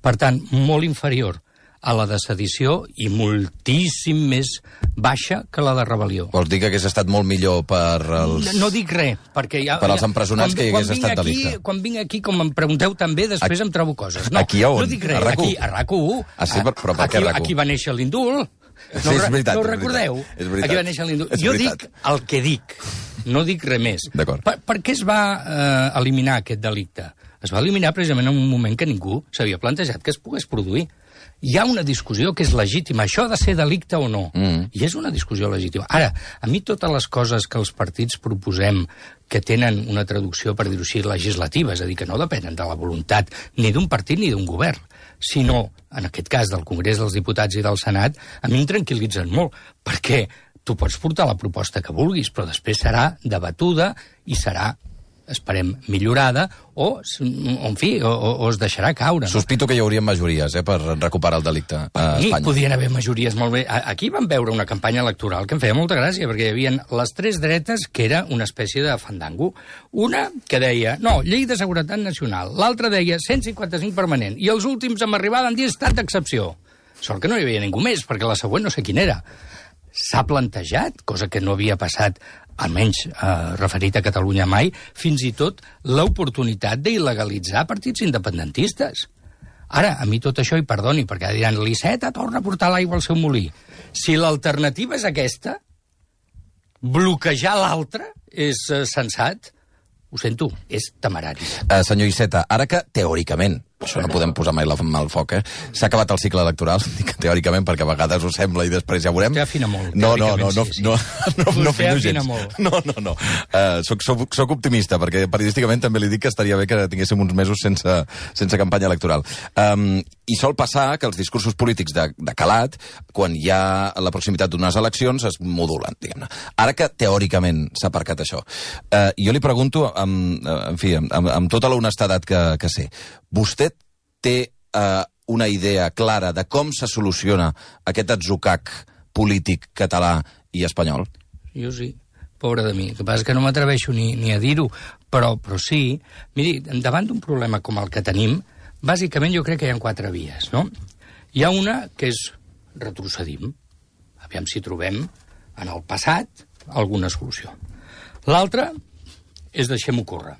Per tant, molt inferior a la de sedició i moltíssim més baixa que la de rebel·lió. Vols dir que hagués estat molt millor per els... No dic res, perquè ja... Per als empresonats que hi hagués estat delicte. Quan vinc aquí, com em pregunteu també, després em trobo coses. No, aquí a on? No dic res, aquí, a RAC1. Ah, sí, però per què RAC1? Aquí va néixer l'indult. Sí, és veritat. No ho recordeu? És veritat. Aquí va néixer l'indult. Jo dic el que dic, no dic res més. D'acord. Per què es va eliminar aquest delicte? Es va eliminar precisament en un moment que ningú s'havia plantejat que es pogués produir. Hi ha una discussió que és legítima. Això ha de ser delicte o no. I és una discussió legítima. Ara, a mi totes les coses que els partits proposem que tenen una traducció, per dir-ho així, legislativa, és a dir, que no depenen de la voluntat ni d'un partit ni d'un govern, sinó, en aquest cas, del Congrés dels Diputats i del Senat, a mi em tranquil·litzen molt, perquè tu pots portar la proposta que vulguis, però després serà debatuda i serà, esperem, millorada, o en fi, o es deixarà caure. Sospito que hi haurien majories per recuperar el delicte a Espanya. Podrien haver majories molt bé. Aquí vam veure una campanya electoral que em feia molta gràcia, perquè hi havia les 3 dretes, que era una espècie de fandango. Una que deia, no, llei de seguretat nacional. L'altra deia 155 permanent. I els últims amb arribada han dit estat d'excepció. Sort que no hi havia ningú més, perquè la següent no sé quina era. S'ha plantejat, cosa que no havia passat, almenys referit a Catalunya mai, fins i tot l'oportunitat d'il·legalitzar partits independentistes. Ara, a mi tot això, i perdoni, perquè diran, l'Iceta torna a portar l'aigua al seu molí. Si l'alternativa és aquesta, bloquejar l'altra és sensat, ho sento, és temerari. Senyor Iceta, ara que, teòricament, això no podem posar mai la mà al foc, s'ha acabat el cicle electoral, dic teòricament, perquè a vegades ho sembla i després ja veurem. Vostè afina molt. No Vostè afina molt. No. Soc optimista, perquè periodísticament també li dic que estaria bé que tinguéssim uns mesos sense campanya electoral. I sol passar que els discursos polítics de calat, quan hi ha la proximitat d'unes eleccions, es modulen, diguem-ne. Ara que teòricament s'ha aparcat això, jo li pregunto, amb tota l'honestedat que sé, vostè té una idea clara de com se soluciona aquest atzucac polític català i espanyol? Jo sí, pobre de mi. El que passa és que no m'atreveixo ni a dir-ho, però sí. Miri, davant d'un problema com el que tenim, bàsicament jo crec que hi ha 4 vies, no? Hi ha una que és retrocedim. Aviam si trobem en el passat alguna solució. L'altra és deixem-ho córrer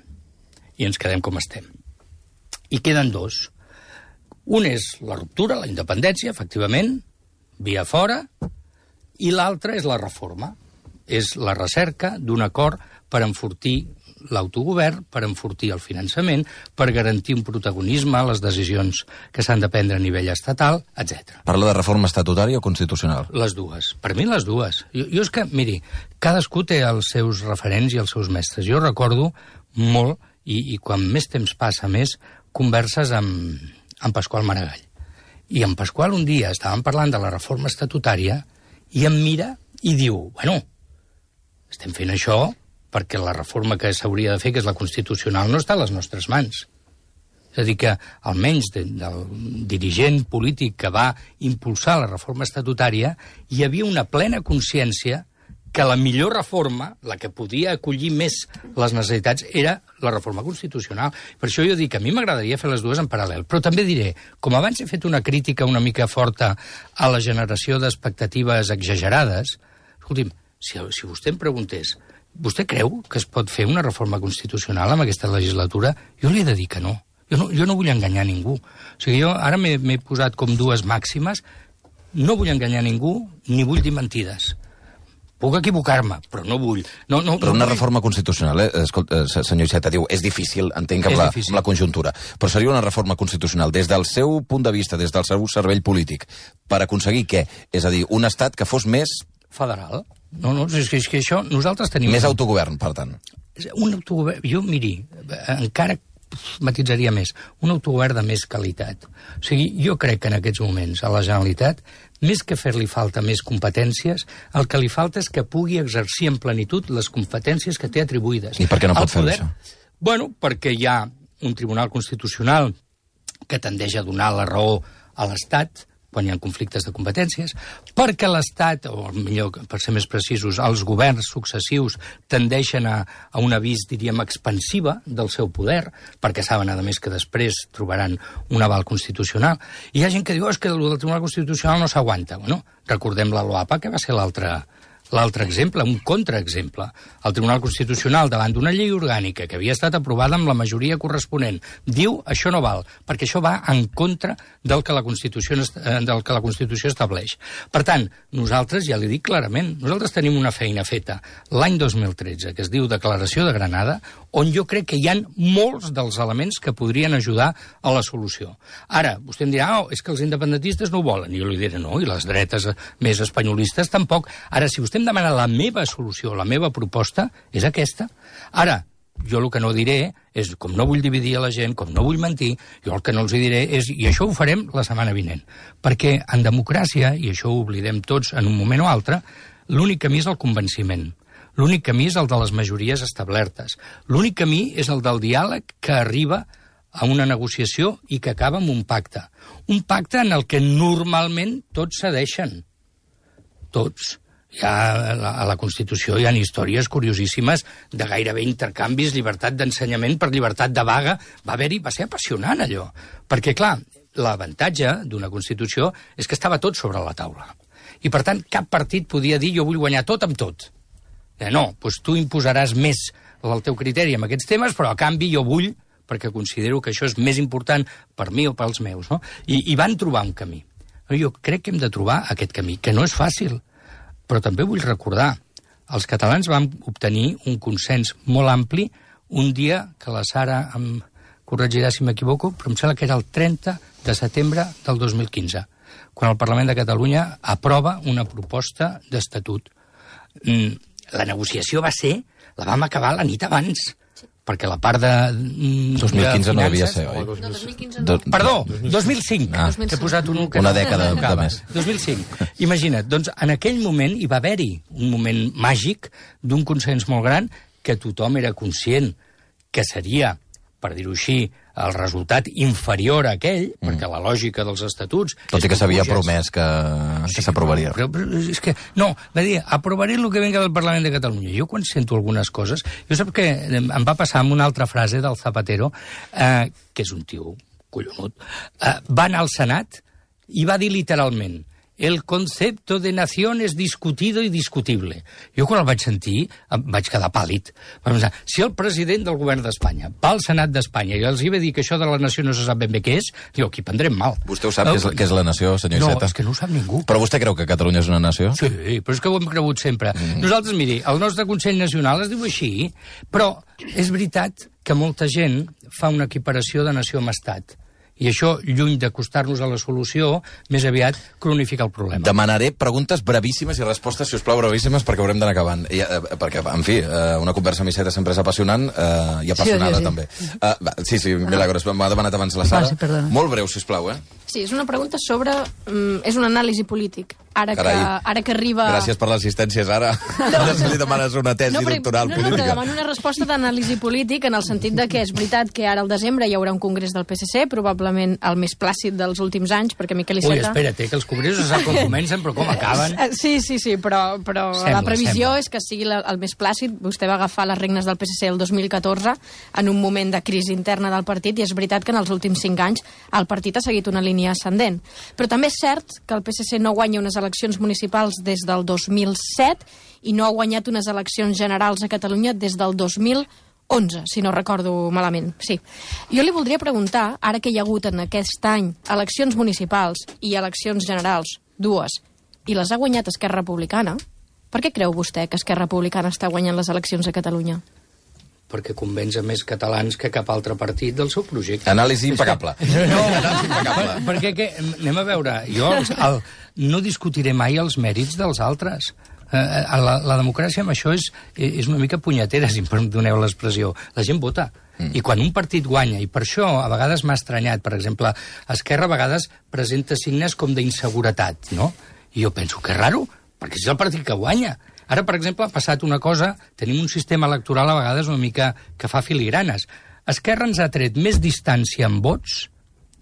i ens quedem com estem. I queden 2. Un és la ruptura, la independència, efectivament, via fora, i l'altre és la reforma. És la recerca d'un acord per enfortir l'autogovern, per enfortir el finançament, per garantir un protagonisme a les decisions que s'han de prendre a nivell estatal, etc. Parla de reforma estatutària o constitucional? Les dues. Per mi les dues. Jo és que, miri, cadascú té els seus referents i els seus mestres. Jo recordo molt, i quan més temps passa més, converses amb Pasqual Maragall. I en Pasqual un dia estàvem parlant de la reforma estatutària i em mira i diu, bueno, estem fent això perquè la reforma que s'hauria de fer, que és la constitucional, no està a les nostres mans. És a dir, que almenys del dirigent polític que va impulsar la reforma estatutària hi havia una plena consciència que la millor reforma, la que podia acollir més les necessitats, era la reforma constitucional. Per això jo dic que a mi m'agradaria fer les dues en paral·lel. Però també diré, com abans he fet una crítica una mica forta a la generació d'expectatives exagerades, escolti'm, si vostè em preguntés, vostè creu que es pot fer una reforma constitucional amb aquesta legislatura? Jo li he de dir que no. Jo no vull enganyar ningú. O sigui, jo ara m'he posat com 2 màximes. No vull enganyar ningú, ni vull dir mentides. Puc equivocar-me, però no vull. Però una reforma constitucional, escolta, senyor Iceta, diu, és difícil, entenc que amb la conjuntura, però seria una reforma constitucional des del seu punt de vista, des del seu cervell polític, per aconseguir què? És a dir, un estat que fos més... Federal. No, és que això nosaltres tenim... Més autogovern, per tant. Un autogovern... Jo, miri, encara matitzaria més, un autogovern de més qualitat. O sigui, jo crec que en aquests moments a la Generalitat, més que fer-li falta més competències, el que li falta és que pugui exercir en plenitud les competències que té atribuïdes. I per què no pot fer això? Bueno, perquè hi ha un Tribunal Constitucional que tendeix a donar la raó a l'Estat quan hi ha conflictes de competències, perquè l'Estat, o millor, per ser més precisos, els governs successius tendeixen a una vis, diríem, expansiva del seu poder, perquè saben, a més, que després trobaran un aval constitucional. I hi ha gent que diu, és que el Tribunal Constitucional no s'aguanta. Bueno, recordem la LOAPA, que va ser l'altre exemple, un contraexemple. El Tribunal Constitucional, davant d'una llei orgànica que havia estat aprovada amb la majoria corresponent, diu això no val, perquè això va en contra del que la Constitució estableix. Per tant, nosaltres, ja li dic clarament, nosaltres tenim una feina feta l'any 2013, que es diu Declaració de Granada, on jo crec que hi ha molts dels elements que podrien ajudar a la solució. Ara, vostè em dirà, és que els independentistes no ho volen. I jo li diré, no, i les dretes més espanyolistes tampoc. Ara, si vostè em demana la meva solució, la meva proposta, és aquesta. Ara, jo el que no diré és, com no vull dividir a la gent, com no vull mentir, jo el que no els diré és, i això ho farem la setmana vinent, perquè en democràcia, i això ho oblidem tots en un moment o altre, l'únic camí és el convenciment. L'únic camí és el de les majories establertes. L'únic camí és el del diàleg que arriba a una negociació i que acaba amb un pacte. Un pacte en el que normalment tots cedeixen. Tots. A la Constitució hi ha històries curiosíssimes de gairebé intercanvis, llibertat d'ensenyament per llibertat de vaga. Va ser apassionant, allò. Perquè, clar, l'avantatge d'una Constitució és que estava tot sobre la taula. I, per tant, cap partit podia dir jo vull guanyar tot amb tot. No, doncs tu imposaràs més el teu criteri en aquests temes, però a canvi jo vull, perquè considero que això és més important per mi o pels meus, no? I van trobar un camí. Jo crec que hem de trobar aquest camí, que no és fàcil, però també vull recordar, els catalans vam obtenir un consens molt ampli un dia que la Sara em corregirà si m'equivoco, però em sembla que era el 30 de setembre del 2015, quan el Parlament de Catalunya aprova una proposta d'estatut. La negociació la vam acabar la nit abans, perquè la part de 2015 no devia ser, oi? No, 2015 no. Perdó, 2005. He posat una dècada de més. 2005. Imagina't, doncs en aquell moment hi va haver-hi un moment màgic d'un consens molt gran que tothom era conscient que seria, per dir-ho així, el resultat inferior a aquell, perquè la lògica dels estatuts... Tot i que s'havia promès que s'aprovaria. Però és que, no, va dir, aprovaré el que venga del Parlament de Catalunya. Jo quan sento algunes coses... Jo sap que em va passar amb una altra frase del Zapatero, que és un tio collonut, va anar al Senat i va dir literalment el concepto de nación es discutido y discutible. Jo quan el vaig sentir em vaig quedar pàl·lid. Vaig pensar, si el president del govern d'Espanya va al Senat d'Espanya i els hi va dir que això de la nació no se sap ben bé què és, diu, aquí prendrem mal. Vostè ho sap què és la nació, senyor Iceta? No, és que no ho sap ningú. Però vostè creu que Catalunya és una nació? Sí, però és que ho hem cregut sempre. Nosaltres, miri, el nostre Consell Nacional es diu així, però és veritat que molta gent fa una equiparació de nació amb estat. I això, lluny d'acostar-nos a la solució, més aviat cronifica el problema. Demanaré preguntes brevíssimes i respostes, si us plau, brevíssimes, perquè haurem d'anar acabant. Perquè, en fi, una conversa amb Iceta sempre és apassionant i apassionada, també. Sí, Milagros, m'ha demanat abans la Sara. Molt breu, si us plau, Sí, és una pregunta sobre... és un anàlisi polític. Ara que arriba... Gràcies per l'assistència, Sara. Ara se li demanes una tesi doctoral política. No, però demano una resposta d'anàlisi polític en el sentit de que és veritat que ara al desembre hi haurà un congrés del PSC, probablement el més plàcid dels últims anys, perquè Miquel Iceta... Ui, espera't, que els congressos se sap com comencen, però com acaben. Sí, però la previsió és que sigui el més plàcid. Vostè va agafar les regnes del PSC el 2014 en un moment de crisi interna del partit, i és veritat que en els últims 5 anys el partit ha seguit una línia ascendent. Però també és cert que el PSC no guanya unes eleccions municipals des del 2007 i no ha guanyat unes eleccions generals a Catalunya des del 2011, si no recordo malament. Sí. Jo li voldria preguntar, ara que hi ha hagut en aquest any eleccions municipals i eleccions generals, dues, i les ha guanyat Esquerra Republicana, per què creu vostè que Esquerra Republicana està guanyant les eleccions a Catalunya? Perquè convenç a més catalans que cap altre partit del seu projecte. Anàlisi impecable. No, perquè anem a veure, jo no discutiré mai els mèrits dels altres. La democràcia amb això és una mica punyetera, si em doneu l'expressió. La gent vota. I quan un partit guanya, i per això a vegades m'ha estranyat, per exemple, Esquerra a vegades presenta signes com d'inseguretat, no? I jo penso que és raro, perquè és el partit que guanya. Ara, per exemple, ha passat una cosa, tenim un sistema electoral a vegades una mica que fa filigranes. Esquerra ens ha tret més distància en vots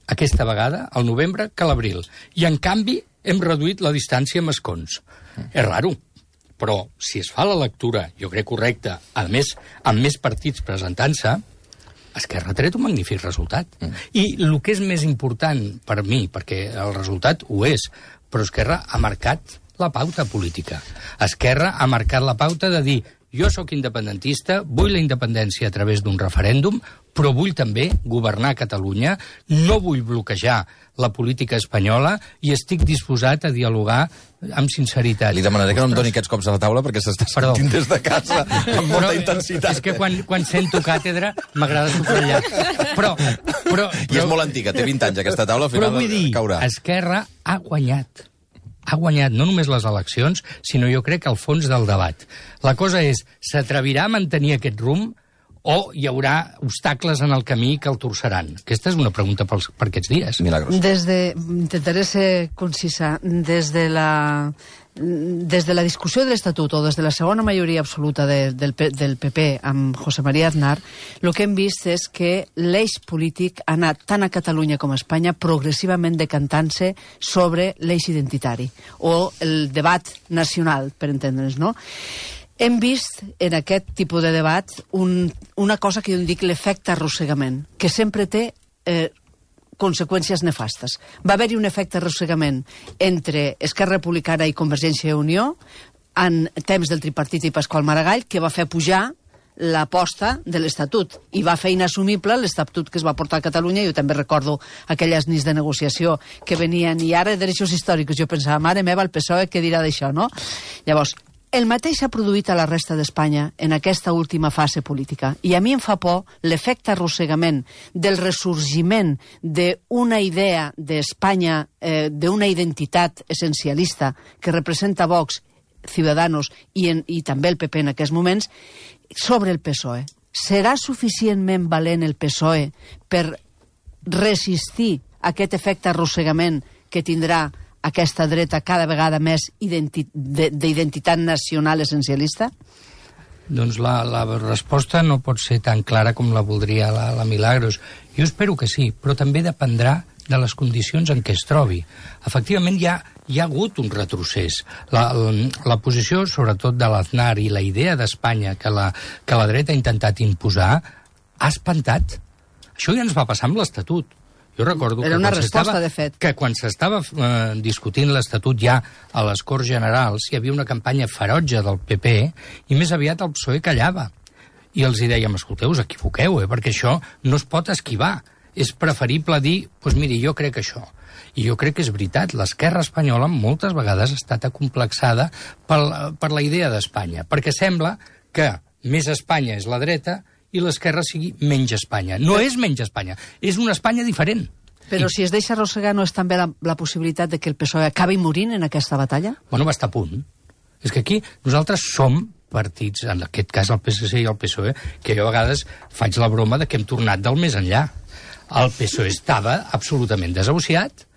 aquesta vegada, al novembre, que a l'abril. I, en canvi, hem reduït la distància amb escons. És raro, però si es fa la lectura, jo crec correcta, a més, amb més partits presentant-se, Esquerra ha tret un magnífic resultat. I el que és més important per mi, perquè el resultat ho és, però Esquerra ha marcat la pauta política. Esquerra ha marcat la pauta de dir jo sóc independentista, vull la independència a través d'un referèndum, però vull també governar Catalunya, no vull bloquejar la política espanyola i estic disposat a dialogar amb sinceritat. Li demanaré que no em doni aquests cops a la taula perquè s'està sentint des de casa amb molta intensitat. És que quan sento càtedra m'agrada subratllar. I és molt antiga, té 20 anys aquesta taula, al final però vull dir, caurà. Esquerra ha guanyat. Ha guanyat no només les eleccions, sinó jo crec que el fons del debat. La cosa és, s'atrevirà a mantenir aquest rumb o hi haurà obstacles en el camí que el torçaran? Aquesta és una pregunta per aquests dies. Milagros. Intentaré ser concisa. Des de la discussió de l'Estatut o des de la segona majoria absoluta del PP amb José María Aznar, el que hem vist és que l'eix polític ha anat tant a Catalunya com a Espanya progressivament decantant-se sobre l'eix identitari o el debat nacional, per entendre'ns, no? Hem vist en aquest tipus de debat una cosa que jo en dic l'efecte arrossegament, que sempre té conseqüències nefastes. Va haver-hi un efecte arrossegament entre Esquerra Republicana i Convergència i Unió en temps del tripartit i Pasqual Maragall, que va fer pujar l'aposta de l'Estatut i va fer inassumible l'Estatut que es va portar a Catalunya. Jo també recordo aquelles nits de negociació que venien i ara de derechos històrics. Jo pensava, mare meva, el PSOE què dirà d'això, no? Llavors, el mateix s'ha produït a la resta d'Espanya en aquesta última fase política. I a mi em fa por l'efecte arrossegament del ressorgiment d'una idea d'Espanya, d'una identitat essencialista que representa Vox, Ciudadanos i també el PP en aquests moments, sobre el PSOE. Serà suficientment valent el PSOE per resistir aquest efecte arrossegament que tindrà aquesta dreta cada vegada més d'identitat nacional essencialista? Doncs la resposta no pot ser tan clara com la voldria la Milagros. Jo espero que sí, però també dependrà de les condicions en què es trobi. Efectivament, hi ha hagut un retrocés. La posició, sobretot de l'Aznar i la idea d'Espanya que la dreta ha intentat imposar ha espantat. Això ja ens va passar amb l'Estatut. Jo recordo que quan s'estava discutint l'Estatut ja a les Corts Generals hi havia una campanya ferotge del PP i més aviat el PSOE callava. I els hi dèiem, escolteu, us equivoqueu, perquè això no es pot esquivar. És preferible dir, doncs miri, jo crec això. I jo crec que és veritat, l'esquerra espanyola moltes vegades ha estat acomplexada per la idea d'Espanya, perquè sembla que més Espanya és la dreta i l'esquerra sigui menys Espanya. No és menys Espanya, és una Espanya diferent. Però si es deixa arrossegar, no és també la possibilitat de que el PSOE acabi morint en aquesta batalla? Bueno, va estar a punt. És que aquí nosaltres som partits, en aquest cas el PSC i el PSOE, que jo a vegades faig la broma de que hem tornat del més enllà. El PSOE estava absolutament desahuciat,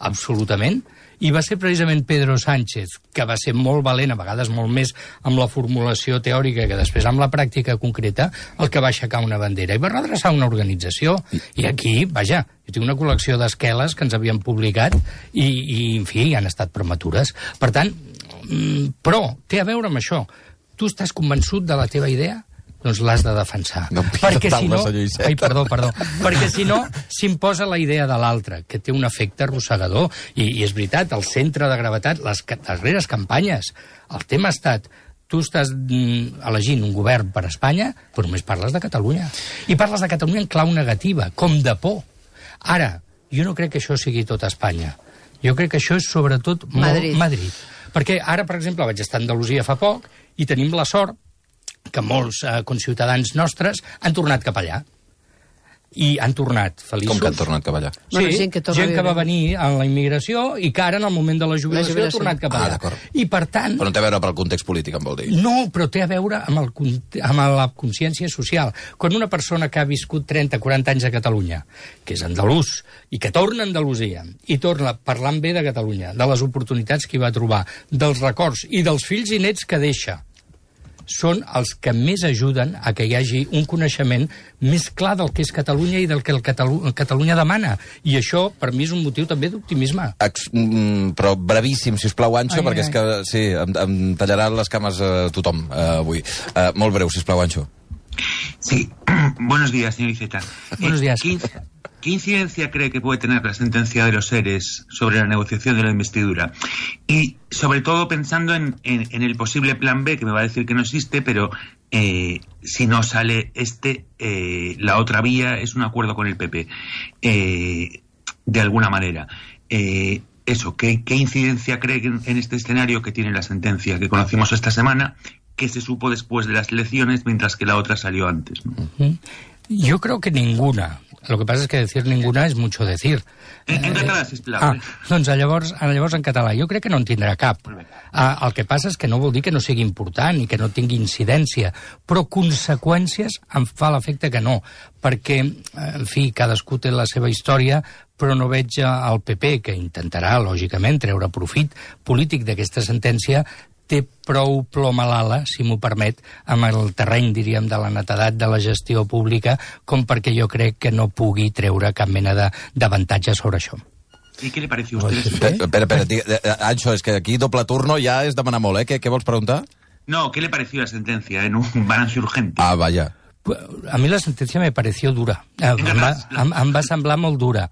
absolutament, i va ser precisament Pedro Sánchez, que va ser molt valent, a vegades molt més amb la formulació teòrica que després amb la pràctica concreta, el que va aixecar una bandera i va redreçar una organització. I aquí, vaja, jo tinc una col·lecció d'esqueles que ens havien publicat i en fi, han estat prematures. Per tant, però té a veure amb això. Tu estàs convençut de la teva idea? Doncs l'has de defensar. No, perquè si no... Ai, perdó. Perquè si no, s'imposa la idea de l'altre, que té un efecte arrossegador. I és veritat, el centre de gravetat, les darreres campanyes, el tema ha estat... Tu estàs elegint un govern per a Espanya, però només parles de Catalunya. I parles de Catalunya en clau negativa, com de por. Ara, jo no crec que això sigui tot Espanya. Jo crec que això és sobretot Madrid. Perquè ara, per exemple, vaig estar a Andalusia fa poc i tenim la sort que molts conciutadans nostres han tornat cap allà. I han tornat feliços. Com que han tornat cap allà? Sí, bueno, gent que va venir a la immigració i que ara, en el moment de la jubilació, ha tornat cap allà. I per tant... Però no té a veure pel context polític, em vol dir. No, però té a veure amb la consciència social. Quan una persona que ha viscut 30-40 anys a Catalunya, que és andalús, i que torna a Andalusia, i torna parlant bé de Catalunya, de les oportunitats que hi va trobar, dels records i dels fills i nets que deixa, són els que més ajuden a que hi hagi un coneixement més clar del que és Catalunya i del que Catalunya demana. I això, per mi, és un motiu també d'optimisme. Però brevíssim, si us plau, Anxo, perquè és que sí, em tallaran les cames tothom avui. Molt breu, si us plau, Anxo. Sí, buenos días, señor Iceta. Buenos días. ¿Qué incidencia cree que puede tener la sentencia de los seres sobre la negociación de la investidura? Y sobre todo pensando en el posible plan B, que me va a decir que no existe, pero si no sale la otra vía es un acuerdo con el PP, de alguna manera. Eso, ¿qué incidencia cree en este escenario que tiene la sentencia que conocimos esta semana, que se supo después de las elecciones, mientras que la otra salió antes, ¿no? Yo creo que ninguna. Lo que pasa es que decir ninguna es mucho decir. En català, sisplau. Doncs llavors en català. Jo crec que no en tindrà cap. El que passa és que no vol dir que no sigui important i que no tingui incidència, però conseqüències em fa l'efecte que no, perquè, en fi, cadascú té la seva història, però no veig el PP, que intentarà, lògicament, treure profit polític d'aquesta sentència, té prou plom a l'ala, si m'ho permet, amb el terreny, diríem, de la netedat de la gestió pública, com perquè jo crec que no pugui treure cap mena d'avantatge sobre això. ¿Y qué le pareció a usted? Espera, Anxo, és que aquí doble turno ja és demanar molt, ¿eh? Què vols preguntar? No, ¿qué le pareció la sentencia en un balance urgente? Ah, vaya. A mi la sentència me pareció dura. Em va semblar molt dura.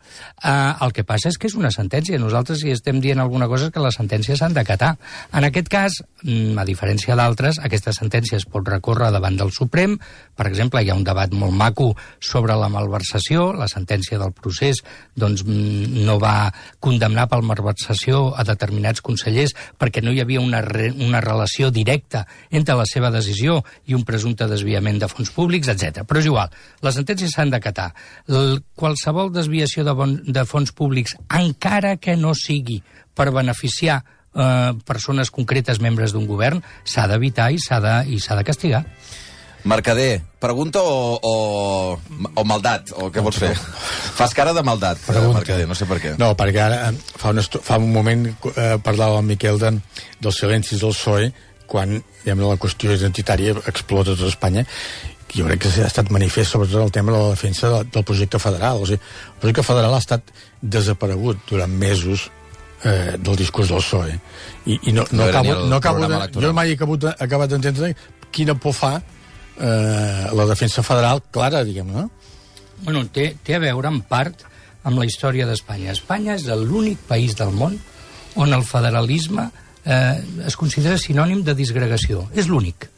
El que passa és que és una sentència. Nosaltres, si estem dient alguna cosa, és que les sentències s'han d'acatar. En aquest cas, a diferència d'altres, aquesta sentència es pot recórrer davant del Suprem. Per exemple, hi ha un debat molt maco sobre la malversació. La sentència del procés doncs, no va condemnar per malversació a determinats consellers perquè no hi havia una relació directa entre la seva decisió i un presumpte desviament de fons públics, etc. Però és igual, les sentències s'han d'acatar. Qualsevol desviació de fons públics, encara que no sigui per beneficiar persones concretes, membres d'un govern, s'ha d'evitar i s'ha de castigar. Mercader, pregunta o maldat? O què vols fer? Fas cara de maldat, Mercader, no sé per què. No, perquè ara, fa un moment parlava el Miquel dels silencis del PSOE, quan la qüestió identitària explota a tot Espanya. Jo crec que ha estat manifest sobretot el tema de la defensa del projecte federal. O sigui, el projecte federal ha estat desaparegut durant mesos del discurs del PSOE. I no acabo de... Jo mai he acabat d'entendre quina por fa la defensa federal clara, diguem, no? Bueno, té a veure en part amb la història d'Espanya. Espanya és l'únic país del món on el federalisme es considera sinònim de disgregació. És l'únic.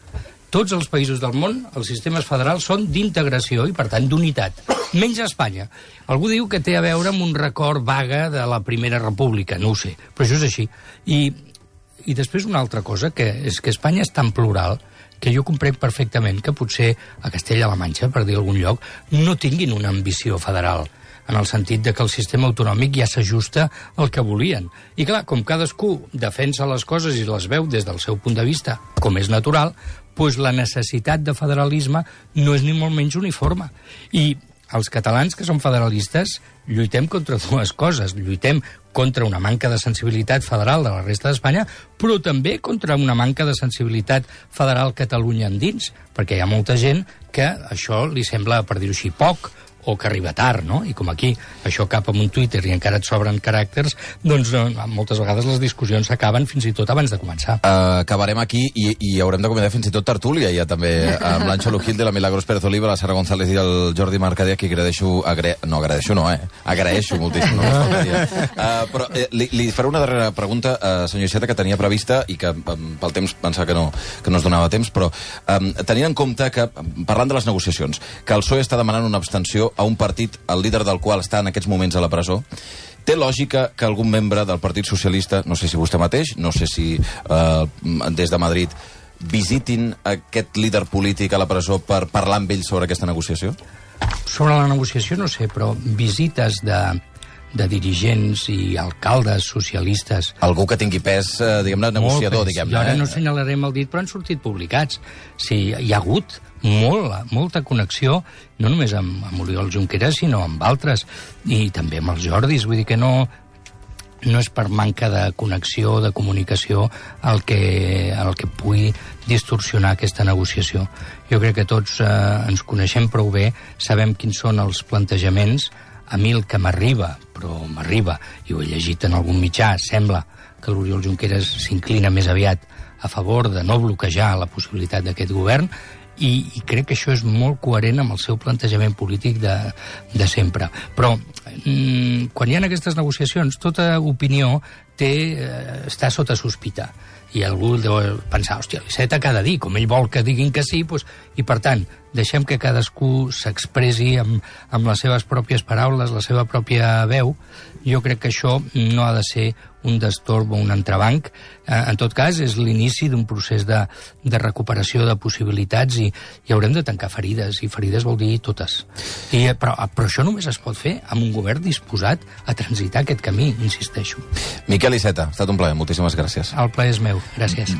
Tots els països del món, els sistemes federals són d'integració i, per tant, d'unitat. Menys Espanya. Algú diu que té a veure amb un record vaga de la Primera República, no ho sé, però això és així. I després una altra cosa, que és que Espanya és tan plural que jo comprenc perfectament que potser a Castella-La Manxa, per dir algun lloc, no tinguin una ambició federal, en el sentit de que el sistema autonòmic ja s'ajusta al que volien. I clar, com cadascú defensa les coses i les veu des del seu punt de vista, com és natural, doncs la necessitat de federalisme no és ni molt menys uniforme. I els catalans que som federalistes lluitem contra dues coses. Lluitem contra una manca de sensibilitat federal de la resta d'Espanya, però també contra una manca de sensibilitat federal Catalunya endins, perquè hi ha molta gent que això li sembla, per dir-ho així, poc, o que arriba tard, no? I com aquí això cap amb un Twitter i encara et sobren caràcters, doncs moltes vegades les discussions s'acaben fins i tot abans de començar. Acabarem aquí i haurem de comentar fins i tot tertúlia, ja també, amb l'Anxo Lujil de la Milagros Pérez Oliva, la Sara González i el Jordi Mercader, que agraeixo moltíssim. Però li faré una darrera pregunta, senyor Iceta, que tenia prevista i que pel temps pensava que no es donava temps, però tenint en compte que, parlant de les negociacions, que el PSOE està demanant una abstenció a un partit, el líder del qual està en aquests moments a la presó, té lògica que algun membre del Partit Socialista, no sé si vostè mateix, no sé si des de Madrid, visitin aquest líder polític a la presó per parlar amb ell sobre aquesta negociació? Sobre la negociació no sé, però visites de dirigents i alcaldes socialistes... Algú que tingui pes, diguem-ne, negociador, diguem-ne. Jo ara no assenyalarem el dit, però han sortit publicats. Sí, hi ha hagut molta connexió, no només amb Oriol Junqueras, sinó amb altres, i també amb els Jordis. Vull dir que no no és per manca de connexió, de comunicació, el que pugui distorsionar aquesta negociació. Jo crec que tots ens coneixem prou bé, sabem quins són els plantejaments. A mi el que m'arriba, i ho he llegit en algun mitjà, sembla que l'Oriol Junqueras s'inclina més aviat a favor de no bloquejar la possibilitat d'aquest govern, i crec que això és molt coherent amb el seu plantejament polític de sempre. Però quan hi ha aquestes negociacions, tota opinió està sota sospita. I algú deu pensar, hòstia, l'Iceta cada dia, com ell vol que diguin que sí, doncs, i per tant, deixem que cadascú s'expressi amb les seves pròpies paraules, la seva pròpia veu. Jo crec que això no ha de ser un destorb o un entrebanc. En tot cas, és l'inici d'un procés de recuperació de possibilitats i haurem de tancar ferides, i ferides vol dir totes. Però això només es pot fer amb un govern disposat a transitar aquest camí, insisteixo. Miquel Iceta, ha estat un plaer, moltíssimes gràcies. El plaer és meu, gràcies.